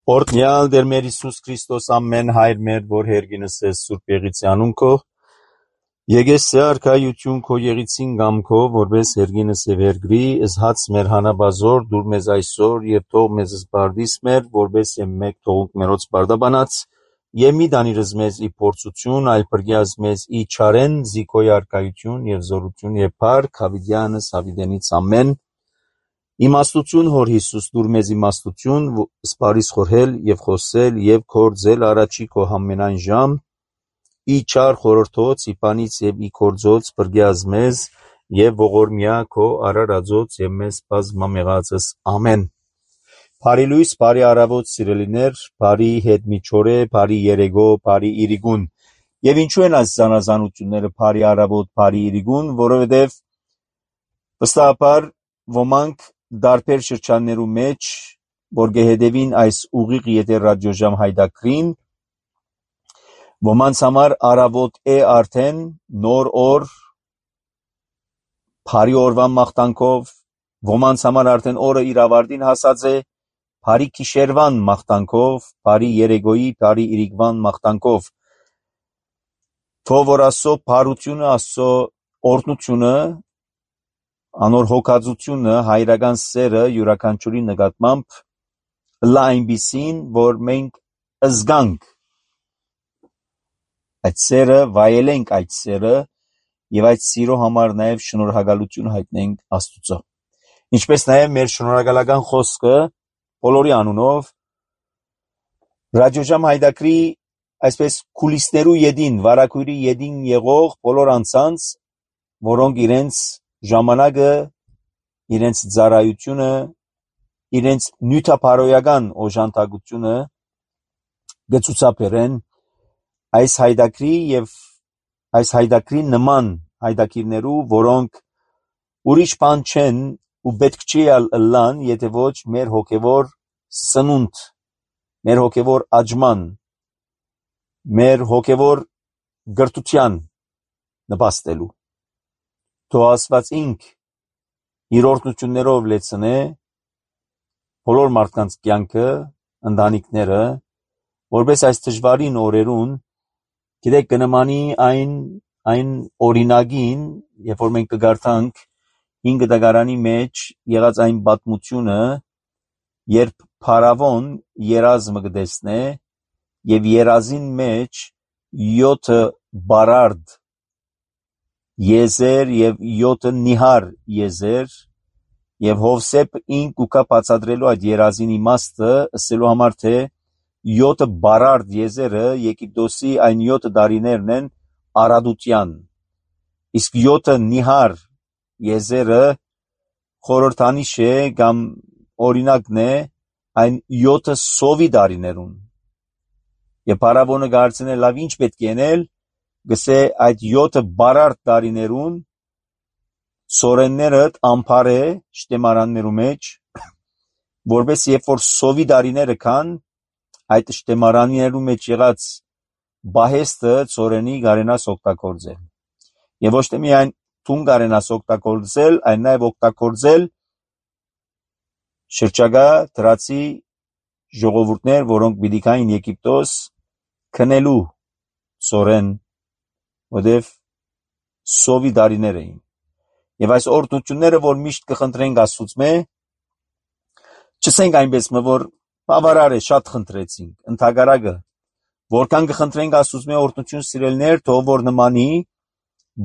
Օրհնյալ Տեր մեր Հիսուս Քրիստոս ամեն հայր մեր, որ հերգինս ես Սուրբ Եղիցյանուն քո, եկես արքայություն քո եղիցին գամքո, որպես հերգինս եւ հերգրի, ըսհաց մեր հանաբազոր, դուր մեզ այսօր եւ թող մեզ զբարդիս մեր, որպես եմ մեկ թողունք մերոց բարդաբանած, եւ մի դանիրս մեզ ի փորձություն, այլ բրգյազ մեզ ի չարեն, զիքոյ արքայություն եւ զորություն եւ փառք, հավիդյանս հավիդենից ամեն. Իմաստություն հոր Հիսուս դուր մեզ իմաստություն, սպարիս խորհել եւ խոսել եւ կործել առաջի քո համենայն ժամ, ի չար խորհրդոց, ի պանից եւ ի կործոց բրգյազ մեզ եւ ողորմյա քո արարածոց եւ մեզ բազմամեղածս ամեն. Բարի լույս, բարի առավոտ սիրելիներ, բարի հետ միջօրե, բարի երեգո, բարի իրիգուն. եւ ինչու են այս զանազանությունները բարի առավոտ, բարի իրիգուն, որովհետեւ վստահաբար ոմանք դարբեր շրջաններու մեջ, որ գեհետևին այս ուղիղ եթեր ռադիոժամ հայդակրին, ոմանց համար առավոտ է արդեն նոր օր, բարի օրվան մաղթանքով, ոմանց համար արդեն օրը իր ավարտին հասած է, բարի գիշերվան մաղթանքով, բարի երեգոյի, բարի իրիգվան մաղթանքով, թող որ Աստծո բարությունը, Աստծո օրհնությունը, անոր հոգածությունը, հայրական սերը յուրաքանչյուրի նկատմամբ լա այնպիսին, որ մենք զգանք այդ սերը, վայելենք այդ սերը եւ այդ սիրո համար նաեւ շնորհակալություն հայտնենք Աստծո. Ինչպես նաեւ մեր շնորհակալական խոսքը բոլորի անունով ռադիոժամ հայդակրի այսպես կուլիսներու յետին, վարակույրի յետին եղող բոլոր անձանց, որոնք իրենց ժամանակը, իրենց ծառայությունը, իրենց նյութապարոյական օժանդակությունը գծուցաբերեն այս հայդակրի եւ այս հայդակրի նման հայդակիրներու, որոնք ուրիշ բան չեն ու պետք չի ըլլան, եթե ոչ մեր հոգևոր սնունդ, մեր հոգևոր աճման, մեր հոգևոր գրթության նպաստելու. Թող Աստված ինք իր օրհնություններով լեցնե բոլոր մարդկանց կյանքը, ընտանիքները, որպես այս դժվարին օրերուն, գիտեք, կնմանի այն օրինակին, երբ որ մենք կգարթանք 5 դագարանի մեջ եղած այն պատմությունը, երբ Փարավոն երազմը կտեսնե եւ երազին մեջ 7 բարարդ եզեր եւ 7 նիհար եզեր եւ Հովսեփ ինք ուկա բացատրելու այդ երազին իմաստը, ասելու համար թե 7 բարարդ եզերը Եգիպտոսի այն 7 տարիներն են արադության, իսկ 7 նիհար եզերը խորհրդանիշ է կամ օրինակն է այն 7 սովի տարիներուն. եւ Փարավոնը գարցնե լավ ինչ պետք է անել, գսե այդ 7 բարարդ տարիներուն սորենները ամփարե շտեմարաններու մեջ, որպես երբ որ սովի տարիները կան, այդ շտեմարաններու մեջ եղած բահեստը ծորենի գարենաս օգտագործել. Եվ ոչ թե միայն թուն գարենաս օգտագործել, այլ նաև օգտագործել շրջակա դրացի ժողովուրդներ, որոնք պիտի գային Եգիպտոս քնելու ծորեն, որտև սովի տարիներ էին. եւ այս օրհնությունները, որ միշտ կխնդրենք Աստծուծմե, չսենք այնպես, որ բավարար է, շատ խնդրեցինք, ընդհակառակը, որքան կխնդրենք Աստծուծմե օրհնություն սիրելներ, թող որ նմանի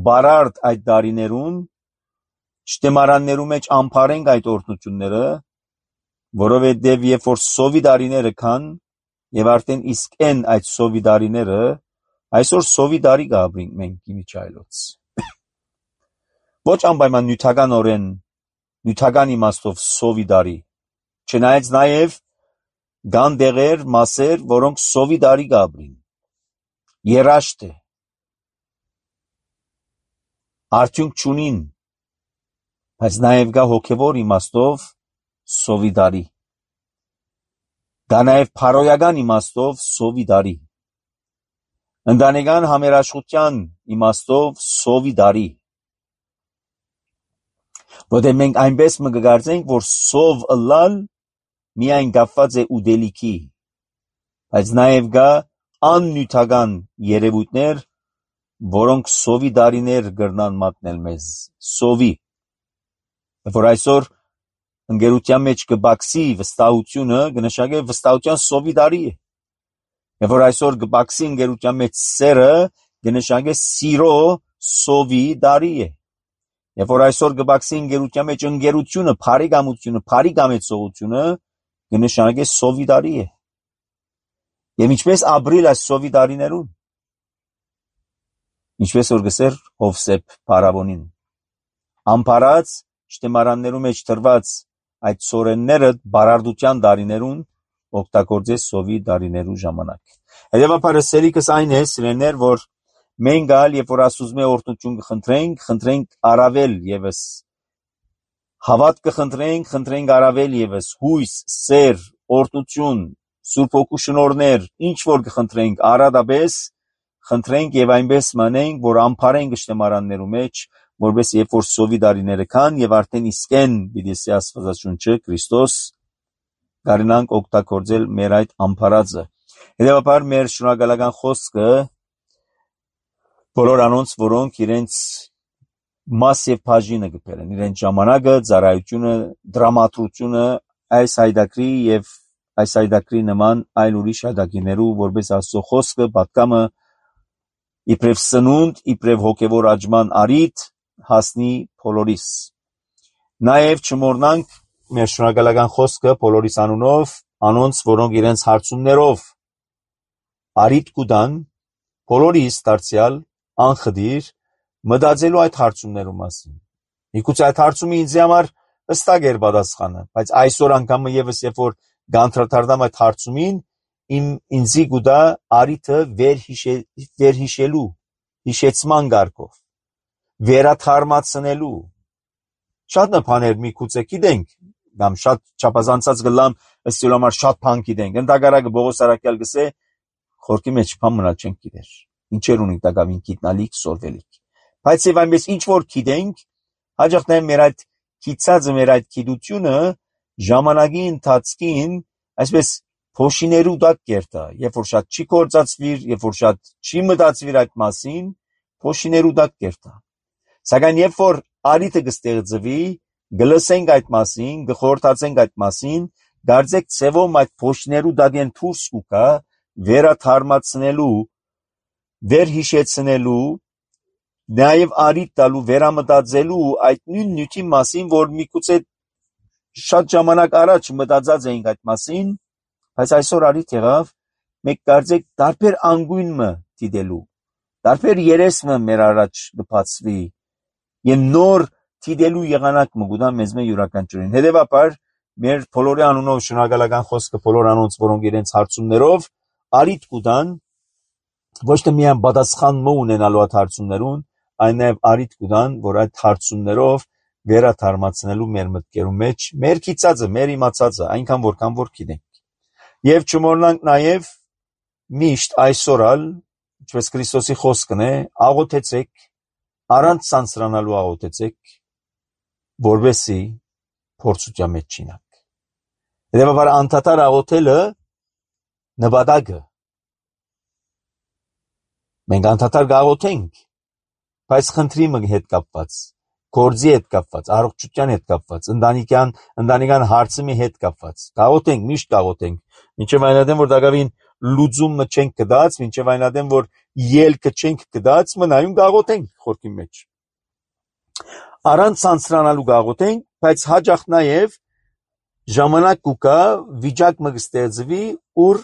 բարարդ այդ տարիներուն շտեմարաններու մեջ ամփարենք այդ օրհնությունները, որովհետև երբ որ սովի տարիները կան եւ արդեն իսկ են այդ սովի տարիները, այսօր սովի տարի կապրինք մենք իմիջայլոց. ոչ անպայման նյութականորեն, նյութական իմաստով սովի տարի, չնայած նաեւ կան դեղեր, մասեր, որոնք սովի տարի կապրին, երաշտ է, արդյունք չունին, բայց նաեւ կա հոգևոր իմաստով սովի տարի, կա նաեւ փարոյական իմաստով սովի տարի, ընտանեկան համերաշխության իմաստով սովի տարի, որտեղ մենք այնպես կգարձենք, որ սով ըլլալ միայն կապված է ուտելիքի, Բայց նաև կա աննյութական երևույթներ, որոնք սովի դարիներ կրնան մատնել մեզ, սովի, որ այսօր ընկերության մեջ կբացի վստահությունը, կնշանակի վստահության սովի դարի է, եւ որ այսօր կբացի ընկերության մեջ սերը, կնշանակի սիրո սովի դարի է, եւ որ այսօր կբացի ընկերության մեջ ընկերությունը, փարիգամությունը, փարիգամեցողությունը, կնշանակի սովի դարի է, եւ ինչպես ապրիլ այս սովի դարիներուն, ինչպես որ գսեր Հովսեփ Փարավոնին, ամփարած շտեմարաններու մեջ դրված այդ սորենները բարարդության դարիներուն օգտագործե սովի դարիներու ժամանակ։ Հետևաբար սելիկս այն է, սիրելիներ, որ մենք գալ, երբ որ Աստծո օրհնություն կխնդրենք առավել եւս հավատ կխնդրենք առավել եւս հույս, սեր, օրհնություն, Սուրբ Հոգու շնորհներ, ինչ որ կխնդրենք առադաբես խնդրենք եւ այնպես մանենք, որ ամփարենք շտեմարաններու մեջ, որպես երբ որ սովի դարիները կան եւ արդեն իսկեն պիտի Աստվածաշունչը Քրիստոս գարնանք օգտագործել մեր այդ ամփարածը։ Հետևաբար մեր շնորհակալական խոսքը բոլոր անոնց, որոնք իրենց մաս եւ բաժինը կբերեն, իրենց ժամանակը, ծառայությունը, դրամատրությունը այս հայդակրի եւ այս հայդակրի նման այլ ուրիշ հայդակիներու, որպես Աստծո խոսքը պատկամը իբրև սնունդ, իբրև հոգևոր աճման արիթ հասնի բոլորիս։ Նաև չմոռնանք մեր շնորհակալական խոսքը բոլորիս անունով, անոնց, որոնք իրենց հարցումներով արիթ կուտան, բոլորիս դարձյալ անխդիր մտածելու այդ հարցումներու մասին։ Միգուցե այդ հարցումը ինձ համար հստակ էր պատասխանը, բայց այսօր անգամ եւս երբ որ գանտրատարդամ այդ հարցումին, ինձի գուտա արիթը վերհիշելու, հիշեցման գարկով, վերաթարմացնելու։ Շատ բաներ միգուցե գիտենք, կամ շատ չափազանցած գլամ ըստ համար շատ բան գիտենք։ Ընդհակառակը Պողոս Արաքյալ գսե խորքի մեջ բան մնալ չենք գիտեր։ Ինչեր ունենք տակավին գիտնալիք, սորվելիք։ Բայց եւ այնպես ինչ որ գիտենք, հաջող նաեւ մեր այդ գիծածը, մեր այդ գիտությունը ժամանակի ընթացքին այսպես փոշիներու դակ կերտա, երբ որ շատ չի կործածվիր, երբ որ շատ չի մտածվիր այդ մասին, փոշիներու դակ կերտա։ Սակայն երբ որ արիթը կստեղծվի, գլսենք այդ մասին, գխորհրդացենք այդ մասին, դարձեք ցևոմ այդ փոշիներու դակեն դուրս կուկա, վերաթարմացնելու, վերհիշեցնելու, նաեւ արիթ տալու, վերամտածելու այդ նույն նյութի մասին, որ միգուցե շատ ժամանակ առաջ մտածած էինք այդ մասին, բայց այսօր արիթ եղավ, մեկ կարծեք տարբեր անգույնը դիտելու, տարբեր երեսը մեր առաջ կբացվի, եւ նոր դիտելու եղանակ մգուտա մեզ մե յուրաքանչյուրին։ Հետևաբար մեր բոլորի անունով շնորհակալական խոսքը բոլոր անոնց, որոնք իրենց հարցումներով արիթ կուտան, ոչ թե միայն պատասխան ունենալու այդ հարցումներուն, այլ նաեւ արիթ կուտան, որ այդ հարցումներով վերաթարմացնելու մեր մտքերու մեջ, մեր գիծածը, մեր իմացածը, այնքան որքան որ գիտենք։ Եվ չմոռնանք նաեւ միշտ այսօրալ, ինչպես Քրիստոսի խոսքն է, աղոթեցեք, առանց ցանցրանալու աղոթեցեք, որովհետեւ փորձության մեջ չինակ։ Հետևաբար անդադար աղոթելը նպատակը։ Մենք անդադար գաղոթենք, բայց խնդրի հետ կապված, գործի հետ կապված, առողջության հետ կապված, ընտանեկան հարցի հետ կապված։ Գաղոթենք, միշտ գաղոթենք, մինչև այնադեմ որ դակավին լուծումը չենք կդած, մինչև այնադեմ որ ելքը չենք կդած, մնայուն գաղոթենք խորքի մեջ։ Առանց ցանցրանալու գաղոթենք, բայց հաջող նաև ժամանակ կուկա վիճակ մը կստեղծվի, ուր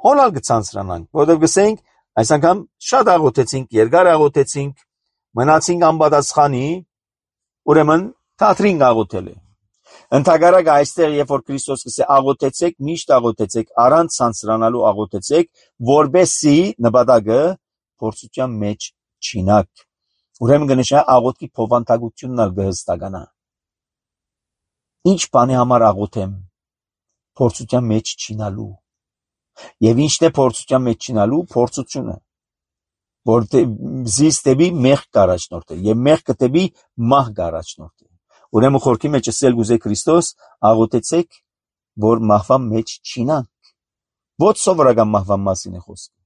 հոլալ կցանցրանանք, որովհետև գսենք, այս անգամ շատ աղոթեցինք, երկար աղոթեցինք, մնացինք անպատասխանի, ուրեմն թատրին աղոթել է։ Ընդհակառակը այստեղ երբ որ Քրիստոս գսե աղոթեցեք, միշտ աղոթեցեք, առանց ցանցրանալու աղոթեցեք, որբեսի նպատակը փորձության մեջ չինակ։ Ուրեմն կնշա աղոթքի փոխանցությունն ալ կհստականա։ Ինչ բանի համար աղոթեմ փորձության մեջ չինալու։ Եվ ինչն է փորձության մեջ չինալու փորձությունը, որ զիստեբի մեղք կառաջնորդի եւ մեղքը դեպի մահ կառաջնորդի։ Ուրեմն խորքի մեջ ասել գուզե Քրիստոս աղոթեցեք, որ մահվան մեջ չինանք, Ոչ սովորական մահվան մասին է խոսքը,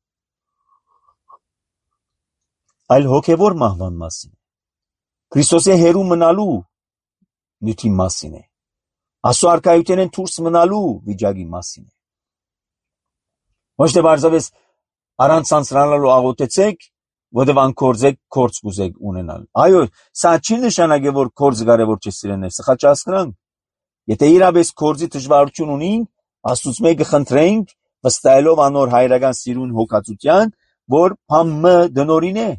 այլ հոգևոր մահվան մասին։ Քրիստոսի հերու մնալու նյութի մասին է։ Աստծո արքայութենեն դուրս մնալու վիճակի մասին է։ Ոչ թե բարձրապես առանց ցանցրանալու աղոթեցեք, որտեղ անկորձեք կորձ կուզեք ունենալ։ Այո, սա չի նշանակի, որ կորձը կարևոր չէ սիրելիներ, սխալ չհասկանանք։ Եթե իրապես կորձի դժվարություն ունենք, Աստծուց մեկը խնդրենք, վստահելով անոր հայրական սիրուն հոգացության, որ բամը դնորին է։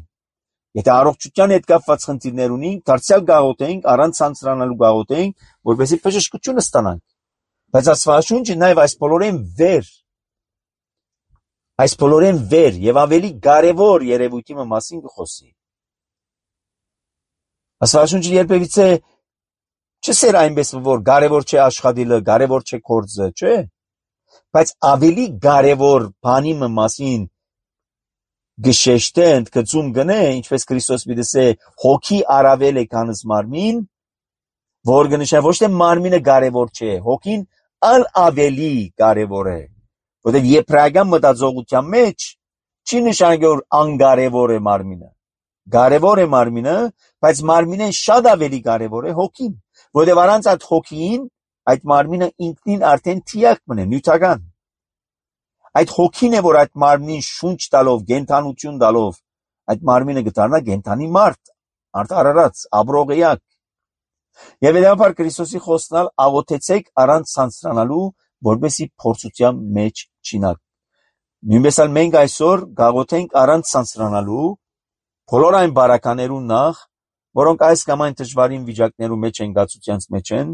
Եթե առողջության հետ կապված խնդիրներ ունենք, դարձյալ գաղութենք, առանց ցանցրանալու գաղութենք, որպեսզի բժշկությունը ստանանք։ Բայց Աստվածաշունչը նաև այս բոլորեն վեր եւ ավելի կարևոր երևույթի մասին կխոսի։ Աստվածաշունչը երբևիցե չսեր այնպես, որ կարևոր չէ աշխատելը, կարևոր չէ կորձը, չէ։ Բայց ավելի կարևոր բանի մասին գշեշտե ընդգծում գնե, ինչպես Քրիստոս պիտի հոգի առավել է քանս մարմին, որ գնշա ոչ թե մարմինը կարևոր չէ, հոգին ալ ավելի կարևոր է, որտեղ եբրայական մտածողության մեջ չի նշանակի որ անկարևոր է մարմինը, կարևոր է մարմինը, բայց մարմինեն շատ ավելի կարևոր է հոգին, որտեղ առանց այդ հոգին այդ մարմինը ինքնին արդեն թիակ մնե, նյութական։ Այդ հոգին է, որ այդ մարմնին շունչ տալով, գենթանություն տալով, այդ մարմինը կդառնա գենթանի մարդ, արդարարած, աբրողեակ։ Եվ հետևաբար Քրիստոսի խոսքնալ աղոթեցեք առանց ցանցրանալու, որպեսզի փորձության մեջ չինակ։ Նույնպես էլ մենք այսօր գաղոթենք առանց ցանցրանալու, բոլոր այն բարականերուն նախ, որոնք այս կամ այն դժվարին վիճակներում մեջ են, գացությանց մեջ են,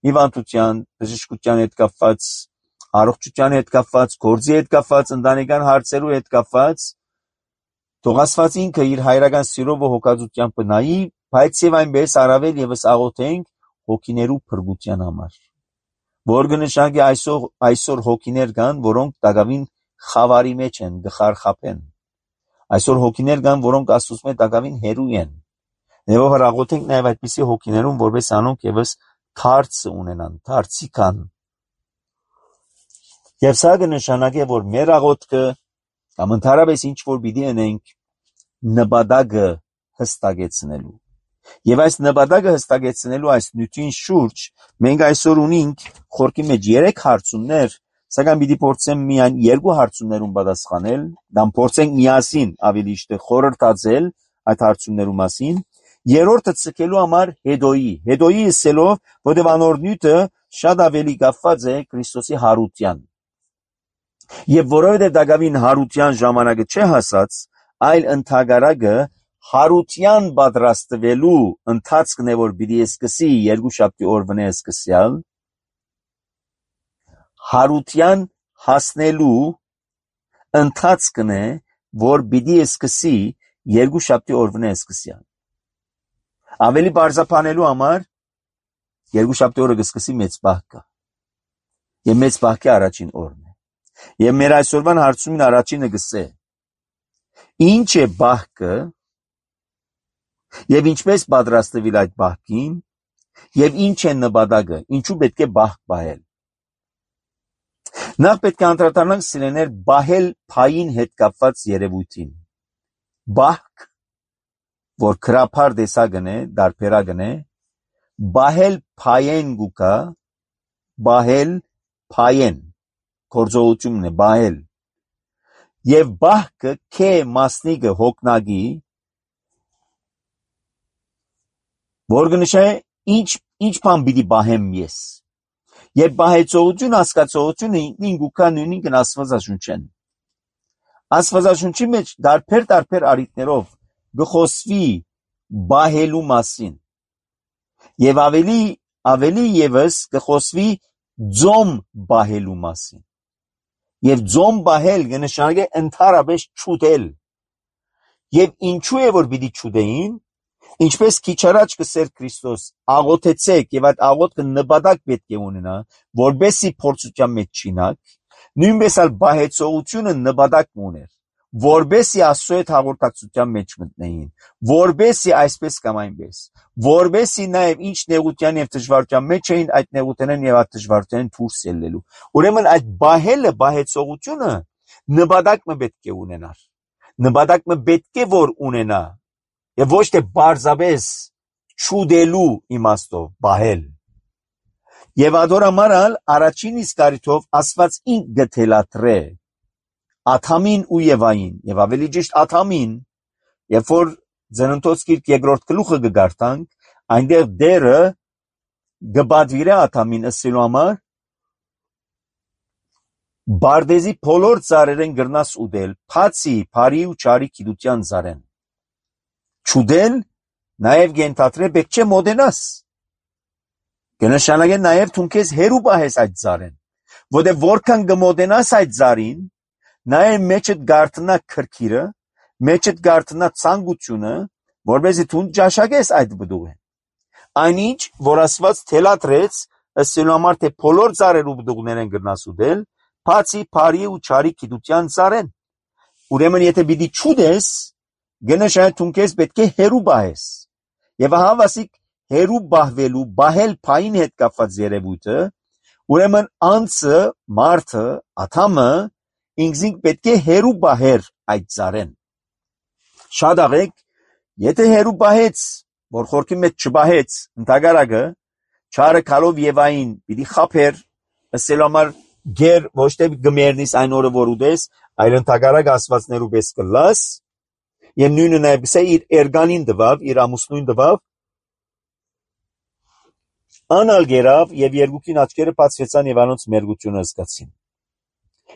հիվանդության, բժշկության հետ կապված, առողջության հետ կապված, գործի հետ կապված, ընտանեկան հարցերու հետ կապված, թող Աստված ինքը իր հայրական սիրով ու հոգածությամբ նայի, բայց եւ այնպես առավել եւս աղոթենք հոգիներու փրկության համար։ Որ կնշանակի այսօր հոգիներ կան, որոնք դակավին խավարի մեջ են, գխարխապեն։ Այսօր հոգիներ կան, որոնք Աստծուց մեծ դակավին հերու են։ Եվ աղոթենք նաեւ այդպիսի հոգիներուն, որպես անոնք եւս դարձ ունենան, դարձի կան։ Եվ սա կնշանակի, որ մեր աղոթքը կամ ընդհանրապես ինչ որ պիտի անենք նպատակը հստակեցնելու։ Եվ այս նպատակը հստակեցնելու այս նյութին շուրջ մենք այսօր ունենք խորքի մեջ 3 հարցումներ, սակայն պիտի փորձեմ միայն 2 հարցումներուն պատասխանել, կամ փորձենք միասին ավելի շուտ խորհրդածել այդ հարցումներու մասին։ Երրորդը ցկելու համար հետոյի ասելով, որտեղ անոր նյութը շատ ավելի կապված է Քրիստոսի հարության։ Եվ որովհետև դակավին հարության ժամանակը չէ հասած, այլ ընդհակառակը հարության պատրաստվելու ընթացքն է, որ պիտի սկսի երկուշաբթի օրվա սկսյալ, հարության հասնելու ընթացքն է, որ պիտի սկսի երկուշաբթի օրվա սկսյալ։ Ավելի բարձրացնելու համար երկուշաբթի օրը կսկսի մեծ բահկը։ Եվ մեծ բահկի առաջին օրն է։ Եվ մեր այսօրվան հարցումին առաջինը գսե. ինչ է բահկը եւ ինչպես պատրաստվել այդ բահկին եւ ինչ է նպատակը, ինչու պետք է բահկ պահել։ Նախ պետք է անդրադառնանք սիրելիներ բահել փային հետ կապված երևույթին։ Բահկ, որ քրափար տեսակն է, դարբերակն է, բահել փայեն գուկա, բահել փայեն, գործողությունն է բահել։ Եվ բահկը քե մասնիկը հոգնագի, որ կնշե ինչ բան պիտի բահեմ ես։ Եվ բահեցողություն, հասկացողությունը ինքնին գուկա նույնին Աստվածաշունչեն։ Աստվածաշունչի մեջ դարբեր առիթներով գխոսվի բահելու մասին։ Եվ ավելի եւս գխոսվի ձոմ բահելու մասին։ Եվ ձոմ բահել կնշանակի ընդհանրապես չուտել։ Եվ ինչու է որ պիտի չուտեին, ինչպես քիչ առաջ կսեր Քրիստոս, աղոթեցեք եւ այդ աղոթքը նպատակ պետք է ունենա, որբեսի փորձության մեջ չինակ, նույնպես էլ բահեցողությունը նպատակ ուներ, որբեսի Աստծո հետ հաղորդակցության մեջ մտնեին, որբեսի այսպես կամ այնպես, որբեսի նաև ինչ նեղության եւ դժվարության մեջ էին, այդ նեղութենեն եւ այդ դժվարութենեն դուրս ելնելու։ Ուրեմն այդ բահելը, բահեցողությունը նպատակը պետք է ունենար։ Նպատակը պետք է որ ունենա եւ ոչ թե բարձաբես չուդելու իմաստով բահել։ Եվ ադորամարալ առաջին իսկ առիթով Աստված ինք գտելատրե Աթամին ու Եվային, եւ ավելի ճիշտ Աթամին, երբ որ Ծննդոց գիրք երկրորդ գլուխը կգարտանք, այնտեղ դերը գբադվիրե Աթամին ըսելու համար Բարդեզի բոլոր ծառերեն գրնաս ուդել, փացի, բարի ու չարի գիտության ծառեն։ Չուդել նաև գենթատրե պետք չէ մոդենաս։ Կնշանակե նաև թուն քեզ հերու պահես այդ ծառեն, որտեղ որքան կմոդենաս այդ ծառին, նաև մեջդ գարտնա քրքիրը, մեջդ գարտնա ցանկությունը, որովհետեւ դու ճաշակես այդ բդուղը։ Այնինչ, որ Աստված թելատրեց, ըսելու համար թե բոլոր ծառերու բդուղներեն գրնաս ուդել, բացի բարի ու չարի գիտության ծառեն։ Ուրեմն եթե պիտի չուդես, գնշանա դու քեզ պետք է հերու պահես։ Եվ ահա վասիկ հերու պահվելու, պահել փային հետ կապված երևույթը, ուրեմն անձը, մարդը, աթամը ինքզինք պետք է հերու պահեր այդ ծառեն։ Շատ աղեք, եթե հերու պահեց, որ խորքի մեջ չպահեց, ընդհակառակը, չարը քալով Եվային պիտի խափեր, ըսելու համար գեր ոչ թե գմերնիս այն օրը որ ուդես, այլ ընդհակառակ Աստվածներու պես կլաս, եւ նույնը նաեւ գսե իր էրգանին դվավ, իր ամուսնույն դվավ, անալ գերավ եւ երկուքին աչքերը բացվեցան եւ անոնց մերգությունը զգացին։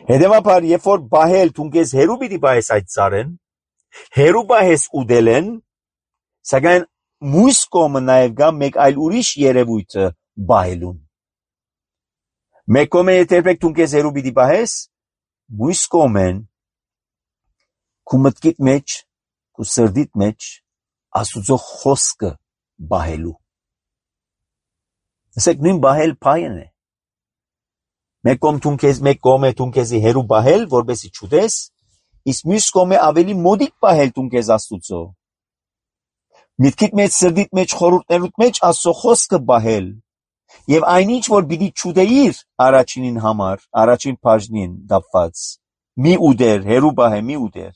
Հետևաբար, երբ որ բահել թունքես հերու պիտի բահես այդ ծառեն, հերու բահես ուդելեն, սակայն մույս կողմը նաեւ գա մեկ այլ ուրիշ երևույթը բահելուն։ Մեկ կողմը եթե թունքես հերու պիտի բահես, մույս կողմեն քու մտքիդ մեջ, քու սրդիդ մեջ Աստուծո խոսքը բահելու։ Ասեք նույն բահել փայն է։ Մեկ կողմը թունքեսի հերու բահել, որբեսի չուդես, իսկ մյուս կողմը ավելի մոդիկ բահել թունքես Աստուծո։ Միտքիդ մեջ, սրդիդ մեջ, խորհուրդներուդ մեջ Աստծո խոսքը բահել, եւ այնինչ որ պիտի չուդեիր առաջինին համար, առաջին բաժնին դապված, մի ուդեր, հերու բահե մի ուդեր,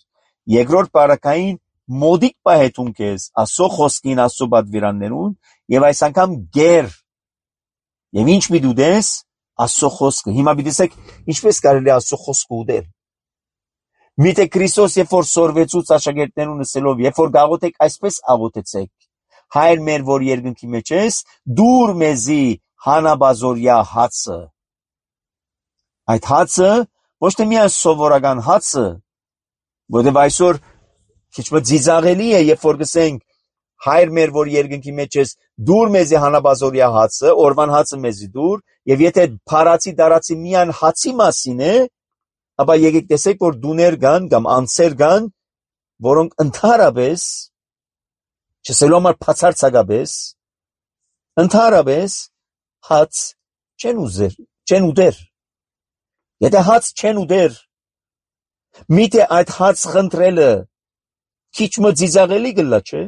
երկրորդ բարակային մոդիկ բահե թունքես Աստծո խոսքին, Աստծո պատվիրաններուն, եւ այս անգամ գեր, եւ ինչ պիտի ուդես Աստծո խոսքը։ Հիմա պիտի ինչպես կարելի է Աստծո խոսքը ուդել։ Միթե Քրիստոս երբ որ սորվեցուց աշակերտներուն ասելով, երբ որ գաղութեք այսպես աղոթեցեք. Հայր մեր որ երկնքի մեջ ես, դուր մեզի հանաբազորյա հացը։ Այդ հացը ոչ թե միայն սովորական հացը, որտեղ այսօր քիչ մը ծիծաղելի է, երբ որ գսենք Հայր մեր որ երկնքի մեջ ես, դուր մեզի հանաբազորյա հացը, օրվան հացը մեզի դուր, եւ եթե փարացի դարացի միան հացի մասին է, ապա եկեք տեսեք, որ դուներ կան կամ անձեր կան, որոնք ընդհանրապես, չասելու համար բացարձակապես, ընդհանրապես հաց չեն ուդեր։ Եթե հաց չեն ուդեր, միթե այդ հաց խնդրելը քիչ մը ծիծաղելի գլա չէ։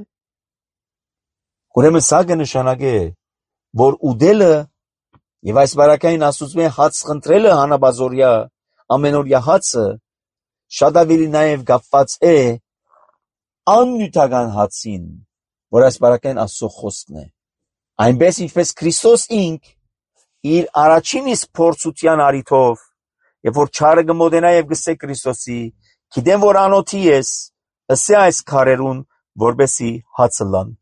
Ուրեմն սա կնշանակե, որ ուդելը եւ այս բարակային Աստծո հաց խնդրելը հանաբազորյա ամենօրյա հացը շատ ավելի նաեւ կապված է աննյութական հացին, որ այս բարակային Աստծո խոսքն է։ Այնպես ինչպես Քրիստոս ինք իր առաջին իսկ փորձության արիթով, երբ որ չարը կմոտենա եւ գսե Քրիստոսի, գիտեմ որ անոթի ես, ըսե այս քարերուն, որբեսի հացը լան։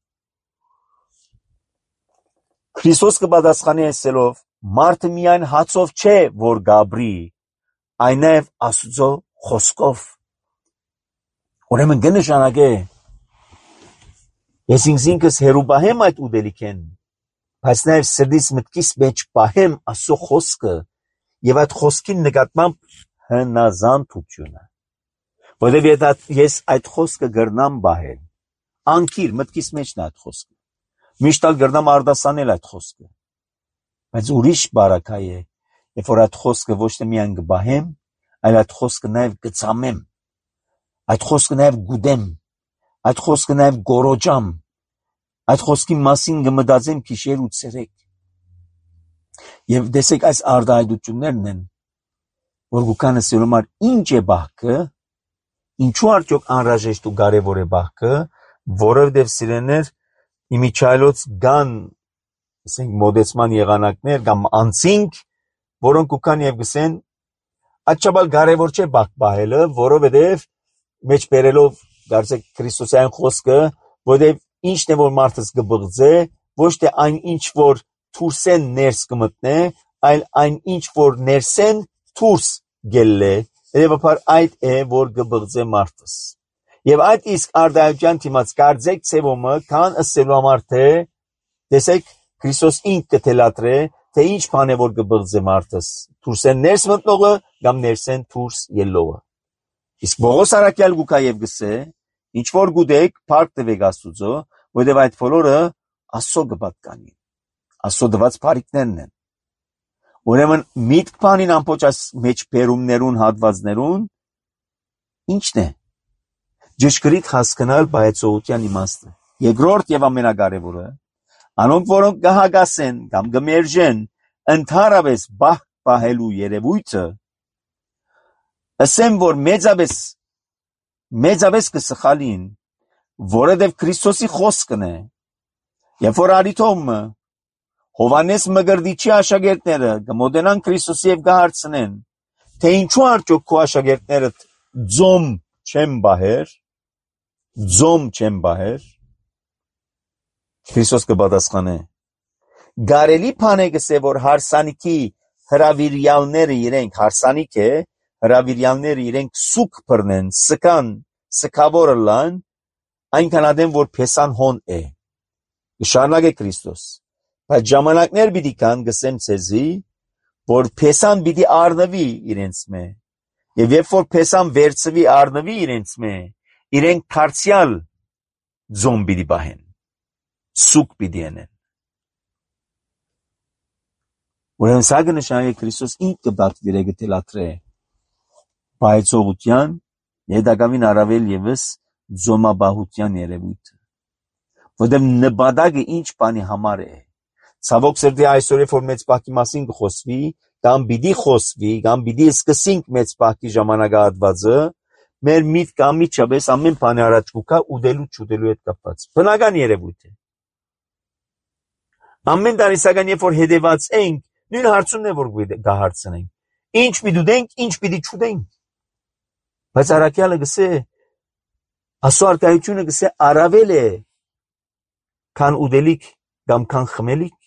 Քրիստոս կպատասխանի ասելով, մարդը միայն հացով չէ, որ գաբրի, այն նաև Աստծո խոսքով։ Ուրեմն կնշանակե, ես ինքս հերու պահեմ այդ ուդելիքեն, բայց նաև սրտիս մտքիս մեջ պահեմ Աստծո խոսքը եւ այդ խոսքին նկատմամբ հնազանդությունը։ Որովհետեւ ես այդ խոսքը գրնամ պահել, անկիր մտքիս մեջն այդ խոսքը։ Միշտ գրնամ արդասանել այդ խոսքը, բայց ուրիշ բարակա է, երբ որ այդ խոսքը ոչ թե միայն կբահեմ, այլ այդ խոսքը նաև կծամեմ, Այդ խոսքը նաև գուդեմ, այդ խոսքը նաև գորոջամ, այդ խոսքի մասին կմտածեմ գիշեր ու ցերեկ։ Եվ տեսեք այս արտահայտություններն են, որ գուքանը սելոմար ինչ է բահքը, ինչու արդյոք անհրաժեշտ ու կարևոր է բահքը, որովհետև սիրեներ իմիջայլոց կան, ասենք մոդեցման եղանակներ կամ անցինք, որոնք գուքան եւ գսեն աչաբալ կարևոր չէ բահք բահելը, որովհետև մեջ բերելով գարցեք Քրիստոսյան խոսքը, որովհետև ինչն է որ մարդս կբղձե, ոչ թե այն ինչ որ թուրսեն ներս կմտնե, այլ այն ինչ որ ներսեն թուրս գելլե, երևաբար այդ է որ կբղձե մարդս։ Եվ այդ իսկ արդայության թիմած կարծեք ցևոմը կան ըսելու համար թե տեսեք Քրիստոս ինքը կթելատրե թե ինչ բան է որ կբղձե մարդս, թուրսեն ներս մտնողը կամ ներսեն թուրս ելողը։ Իսկ Պողոս առաքյալ գուկա եւ գսե, ինչ որ գուտեք, փառք տվեք Աստուծո, որովհետեւ այդ բոլորը Աստծո կպատկանի, Աստծո դված բարիքներն են։ Ուրեմն միտք բանին ամբողջ այս մեջ բերումներուն հատվածներուն ինչն է։ Ճշգրիտ հասկանալ բայեցողության իմաստը։ Երկրորդ եւ ամենակարևորը, անոնք որոնք կհագասեն կամ կմերժեն ընդհանրապես բահելու երևույթը, ասեմ որ մեծապես կսխալին, որովհետև Քրիստոսի խոսքն է, երբ որ արիթոմը Հովանես Մկրտիչի աշակերտները կմոտենան Քրիստոսի եւ կհարցնեն, թե ինչու արդյոք քո աշակերտները ձոմ չեն բահեր, Քրիստոս կպատասխանե. Գարելի բան է գսե որ հարսանիքի հրավիրյալները իրենք հարսանիք է, հրավիրյալները իրենք սուկ բռնեն, սքավորը լան, այնքան ադեմ որ փեսան հոն է։ Շարունակե Քրիստոս, բայց ժամանակներ պիտի կան գսեմ ցեզի, որ փեսան պիտի առնվի իրենց մե, եւ երբ որ փեսան վերցվի առնվի իրենց մե, իրենք դարձյալ ձոմ պիտի բահեն, սուկ պիտի անեն։ Ուրեմն սա կնշանակի Քրիստոս ինքը բացվիրե գտելատրե բայեցողության, հետագավին առավել եւս ձոմաբահության երևույթը, որտեղ նպատակը ինչ բանի համար է։ Ցավոք սրտի այսօր որ մեծ բախի մասին կխոսվի, կամ պիտի խոսվի, կամ պիտի սկսենք մեծ բախի ժամանակահատվածը, մեր միտքը ամիջապես ամեն բանի առաջ կուքա ուտելու չուտելու հետ կապված։ Բնական երևույթ է։ Ամեն տարիսական երբ որ հետևած ենք, նույն հարցումն է որ կհարցնենք. ինչ պիտի ուտենք, ինչ պիտի չուտենք։ Բայց առաքյալը գսե, Աստծո արտահայտությունը գսե առավել է քան ուտելիք կամ քան խմելիք։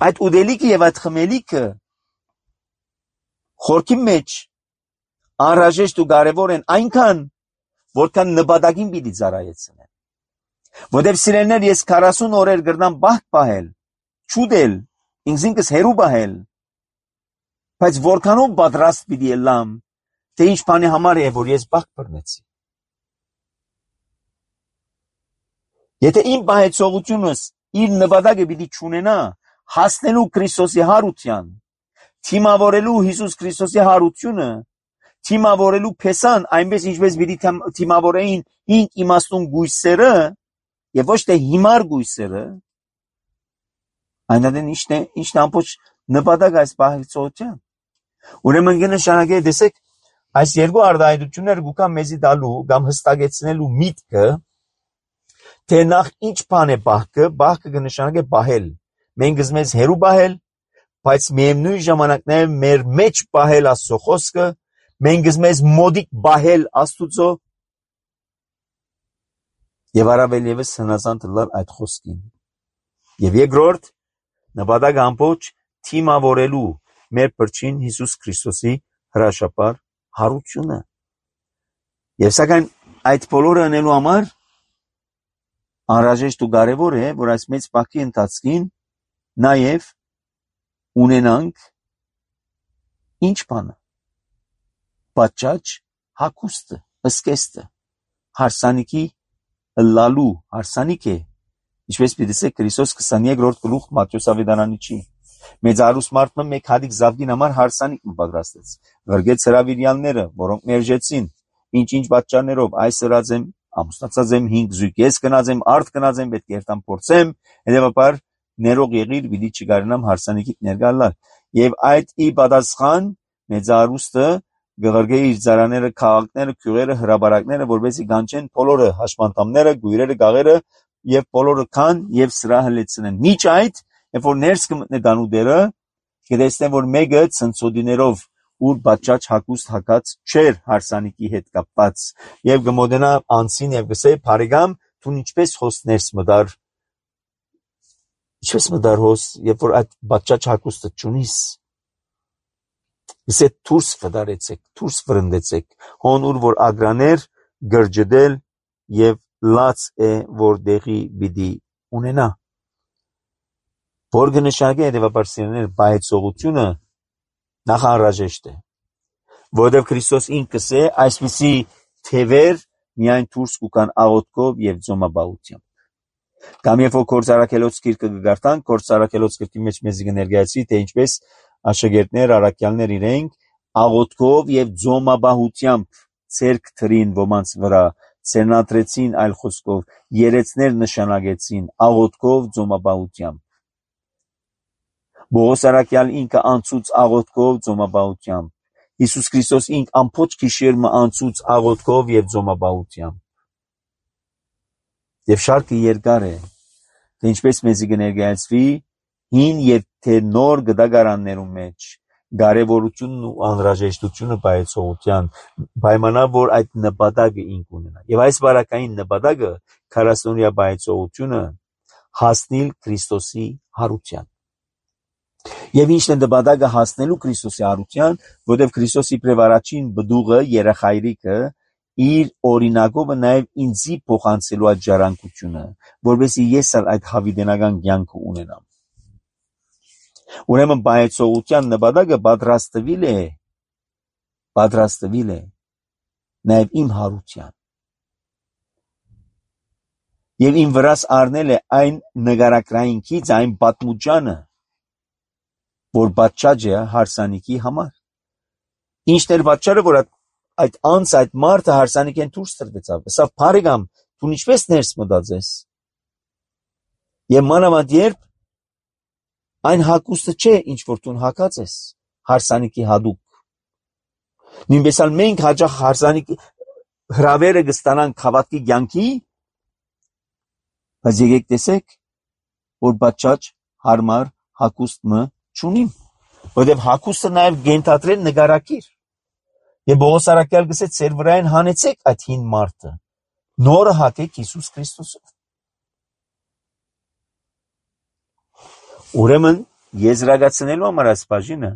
Այդ ուտելիքը եւ այդ խմելիքը խորքի մեջ անհրաժեշտ ու կարևոր են այնքան, որքան նպատակին պիտի ծառայեցնեն։ Որտեւ սիրելիներ, ես 40 օրեր գրնամ բահք բահել, չուտել, ինքս հերու բահել, բայց որքանով պատրաստ պիտի ելամ, թե ինչ բանի համար է, որ ես բահք բռնեցի։ Եթե իմ բահեցողությունս իր նպատակը պիտի չունենա հասնելու Քրիստոսի հարության, թիմավորելու Հիսուս Քրիստոսի հարությունը, թիմավորելու փեսան, այնպես ինչպես պիտի թիմավորեին ինք իմաստուն գույսերը եւ ոչ թե հիմար գույսերը, այնադեն ինչն ամբողջ նպատակ այս բահեցողության։ Ուրեմն կնշանակե, տեսեք, այս երկու արտահայտությունները գուքա մեզի տալու կամ հստակեցնելու միտքը, թե նախ ինչ բան է բահքը կնշանակե բահել։ Մենք գզմես հերու բահել, բայց միևնույն ժամանակներում մեր մեջ բահել Աստծո խոսքը, մենք գզմես մոդիկ բահել Աստուծո եւ առավել եւս հնազանդ լալ այդ խոսքին։ Եվ երկրորդ, նպատակը ամբողջ թիմավորելու մեր Փրկին Հիսուս Քրիստոսի հրաշապար հարությունը։ Եվ սակայն այդ բոլորը անելու համար անհրաժեշտ ու կարևոր է, որ այս մեծ բախի ընթացքին նաև ունենանք ինչ բանը, պատճաճ հագուստը, ըսկեստը, հարսանիքի լալու հարսանիք է, ինչպես պիտի Քրիստոս 23-րդ գլուխ Մատթեոս ավետարանիչի, մեծ արուս մարդը մեկ հատիկ զավգին համար հարսանիք պատրաստեց, գրգեց հրավիրյալները, որոնք մերժեցին, ինչ պատճառներով այս ըրած եմ, ամուսնացած եմ, 5 զույգ ես գնաց եմ, արդ գնաց եմ, պետք է երթամ փորձեմ, հետևաբար ներող եղիր, պիտի չգարնամ հարսանիքիդ ներկա լալ։ Եվ այդ ի պատասխան մեծարուստը գղրգեի իր ծարաները, քաղաքները, քյուղերը, հրաբարակները, որպեսզի գանչեն բոլորը հաշմանդամները, գույրերը, գաղերը եւ բոլորը քան եւ սրա հլեցնեն։ Միջ այդ, երբ որ ներս կմտնե դանուդերը, կտեսնեն, որ մեկը ցնցոդիներով ուր բաճաճ հակուստ հակած չեր հարսանիքի հետ կապված եւ գմոդենա անցին եւ գսե բարեկամ դու ինչպես հոս ներս մդար հոս երբ որ այդ բաճաճ հակուստը չունիս գսե դուրս վդարեցեք դուրս վրընդեցեք հոն ուր որ ագրաներ գրջդել եւ լաց է որ դեղի բիդի ունենա որ գնշագե հետեւաբար սիրներ բայեցողությունը նախանրաժեշտ է որովհետև Քրիստոս ինքս է այսպիսի թևեր միայն դուրս կան աղոթքով եւ ձոմաբահությամբ կամ երբ որ Կորցարակելոց գիրքը գարտանք Կորցարակելոց գրքի մեջ մեզ կներկայացի թե ինչպես աշակերտներ առաքյալներ իրենք աղոթքով եւ ձոմաբահությամբ ցերկ թրին ոմանց վրա ցերնատրեցին այլ խոսքով երեցներ նշանակեցին աղոթքով ձոմաբահությամբ Բողոս առաքյալ ինքը անցուց աղոթքով ձոմաբահությամբ Հիսուս Քրիստոս ինք ամբողջ գիշերը անցուց աղոթքով եւ ձոմաբահությամբ եւ շարքը երկար է թե ինչպես մեզի կներկայացվի հին եւ թե նոր գդագարաններում մեջ կարեւորությունն ու անհրաժեշտությունը բայեցողության պայմանա որ այդ նպատակը ինք ունենա եւ այս բարակային նպատակը 40-օրյա բայեցողությունը հասնել Քրիստոսի հարության Եվ ինչն է նպատակը հասնելու Քրիստոսի հարության, որտեղ Քրիստոսի իբրև առաջին բդուղը երախայրիկը իր օրինակով նաև ինձի փոխանցելու այդ ժառանգությունը, որովհետեւ ես այդ հավիտենական կյանքը ունենամ։ Ուրեմն բայեցողության նպատակը պատրաստվել է նաև իմ հարության։ Եվ իմ վրաս առնել է այն նկարակրայինքից այն պատմուճանը որ բաճաճ է հարսանիքի համար։ Ինչն էր բաճարը, որ այդ մարդը հարսանիքեն դուրս տրվեցավ։ Սա բարեկամ, դու ինչպես ներս մտած ես։ Եվ մանավանդ երբ այն հակուստը չէ, ինչ որ դու հակած ես, հարսանիքի հադուկ։ Նույնպես էլ մենք հաճախ հարսանիքի հրավերը կստանանք հավատքի կյանքի, բայց եկեք տեսեք, որ բաճաճ հարմար հակուստ մը չունիմ, որովհետև հակուստը նաև գենթադրել նկարակիր։ Եվ Բողոս առաքյալ գսե ծեր վրային հանեցեք այդ հին մարդը, նորը հակեք Հիսուս Քրիստոսով։ Ուրեմն եզրակացնելու համար այս բաժինը,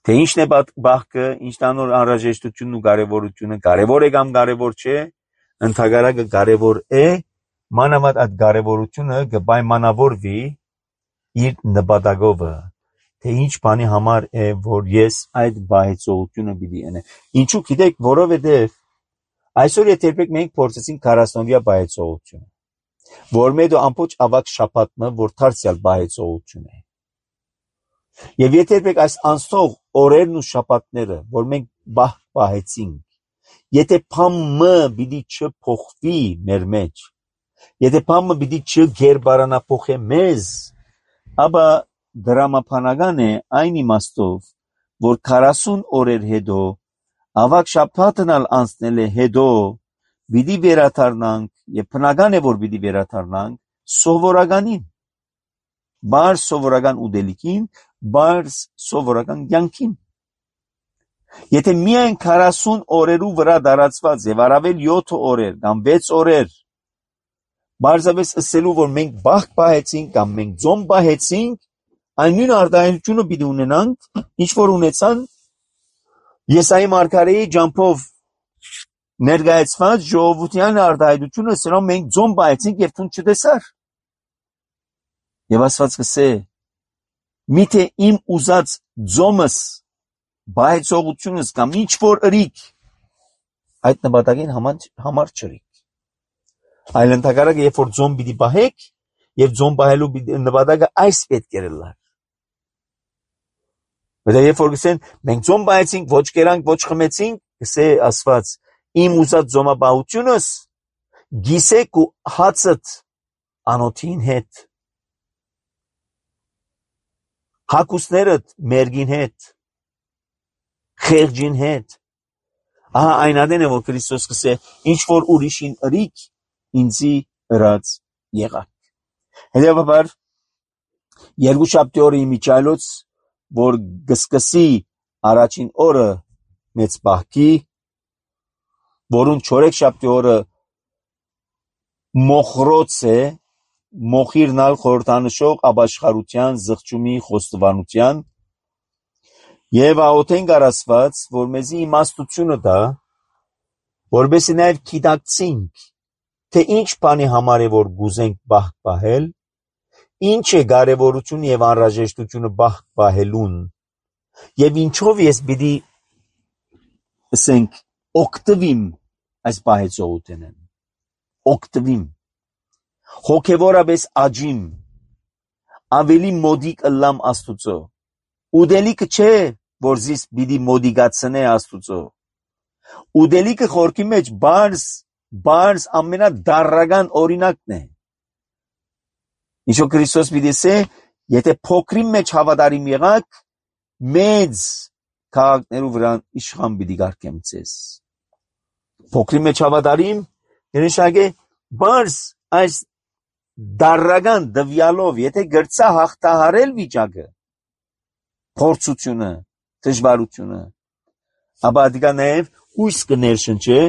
թե ինչն է բախկը, ինչն անոր անհրաժեշտությունն ու կարևորությունը, կարևոր է կամ կարևոր չէ, ընդհանրակը կարևոր է, մանավանդ այդ կարևորությունը կպայմանավորվի իր նպատակովը, թե ինչ բանի համար է, որ ես այդ բայեցողությունը պիտի անեմ։ Ինչու գիտեք, որովհետև այսօր երբեք մենք փորձեցինք 40-օրյա բայեցողությունը, որ մեդո ամբողջ ավակ շաբաթը, որ դարձյալ բայեցողություն է։ Եվ երբեք այս անցող օրերն ու շաբաթները, որ մենք բայեցինք, եթե բամը պիտի չփոխվի մեր մեջ, եթե բամը պիտի չգերբարանափոխե մեզ, ապա դրամապանական է այն իմաստով, որ 40 օրեր հետո, ավակ շաբաթն անցնել է հետո, պիտի վերադառնանք, եւ բնական է, որ պիտի վերադառնանք սովորականին, բարձ սովորական ուտելիքին, բարձ սովորական կյանքին։ Եթե միայն 40 օրերու վրա դարածված եւ առավել 7 օրեր կամ 6 օրեր բարձրապես ասելու, որ մենք բախ պահեցինք կամ մենք ձոմ պահեցինք, այն նույն արտահայտությունը պիտի ունենանք, ինչ որ ունեցան Եսայի մարգարեի ջամփով ներկայացված ժողովրդյան արտահայտությունը, սրանով մենք ձոմ պահեցինք եւ ցուն չտեսար։ Եվ Աստված կսե. «Միթե իմ ուզած ձոմս, բայեցողությունս կամ ինչ որ ըրիք այդ նպատակին համար չրիք»։ Այլ ընդհակառակը, երբ որ ձոմ պիտի պահեք, եւ ձոմ պահելու նպատակը այս պետք է լար։ Բայց երբ որ գսեն մենք ձոմ պահեցինք, ոչ կերանք, ոչ խմեցինք, կսե ասված իմ ուզած զոմաբահությունս գիսեք ու հացըտ անոթին հետ հակուսներըտ մերգին հետ խեղջին հետ ահա այն ադեն է որ Քրիստոս կսե ինչ որ ուրիշին ըրիք ինձի ըրած եղաք հետևաբար երկուշաբթի օրը իմիջայլոց որ գսկսի առաջին օրը մեծ բահքի որուն չորեքշաբթի օրը մոխրոց է մոխիրնալ խորհրդանշող ապաշխարության զղջումի խոստովանության եւ աղոթենք առասված որ մեզի իմաստությունը տա որովհետեւ նաեւ գիտակցենք թե ինչ բանի համար է որ գուզենք բահք պահել ինչ է կարևորություն եւ անհրաժեշտությունը բահք պահելուն եւ ինչով ես պիտի ասենք օգտվիմ այս պահեցողութենեն օգտվիմ հոգեվորապես աճիմ ավելի մոդիկ ըլլամ Աստուծո ուդելիքը չէ որ զիս պիտի մոդիկացնե Աստուծո ուդելիքը խորքի մեջ բարձ ամենադառական օրինակն է ինչո Քրիստոս պիտի ասե եթե փոքրի մեջ հավատարիմ եղաք մեծ քաղաքներու վրա իշխան պիտի կարգեմ ձեզ փոքրի մեջ հավատարիմ նշանակե բարձ այս դառական դվյալով եթե գրծա հաղթահարել վիճակը փորձությունը դժվարությունը ապա դիգա նաև ույս կներշնչե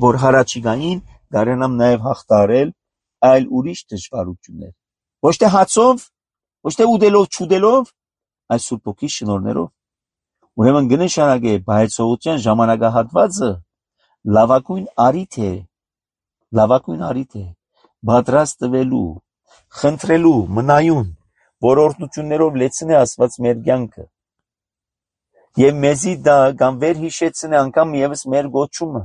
որ հարաճիգային կարենամ նաև հաղթահարել այլ ուրիշ դժվարություններ ոչ թե հացով ոչ թե ուդելով չուդելով այս Սուրբ Հոգի շնորհներով ուրեմն կնշանակե բայեցողության ժամանակահատվածը լավագույն առիթ է պատրաստ տվելու խնդրելու մնայուն որօրտնություններով լեցնե Աստված մեր կյանքը եւ մեզի դա կամ վեր հիշեցնե անգամ եւս մեր գոչումը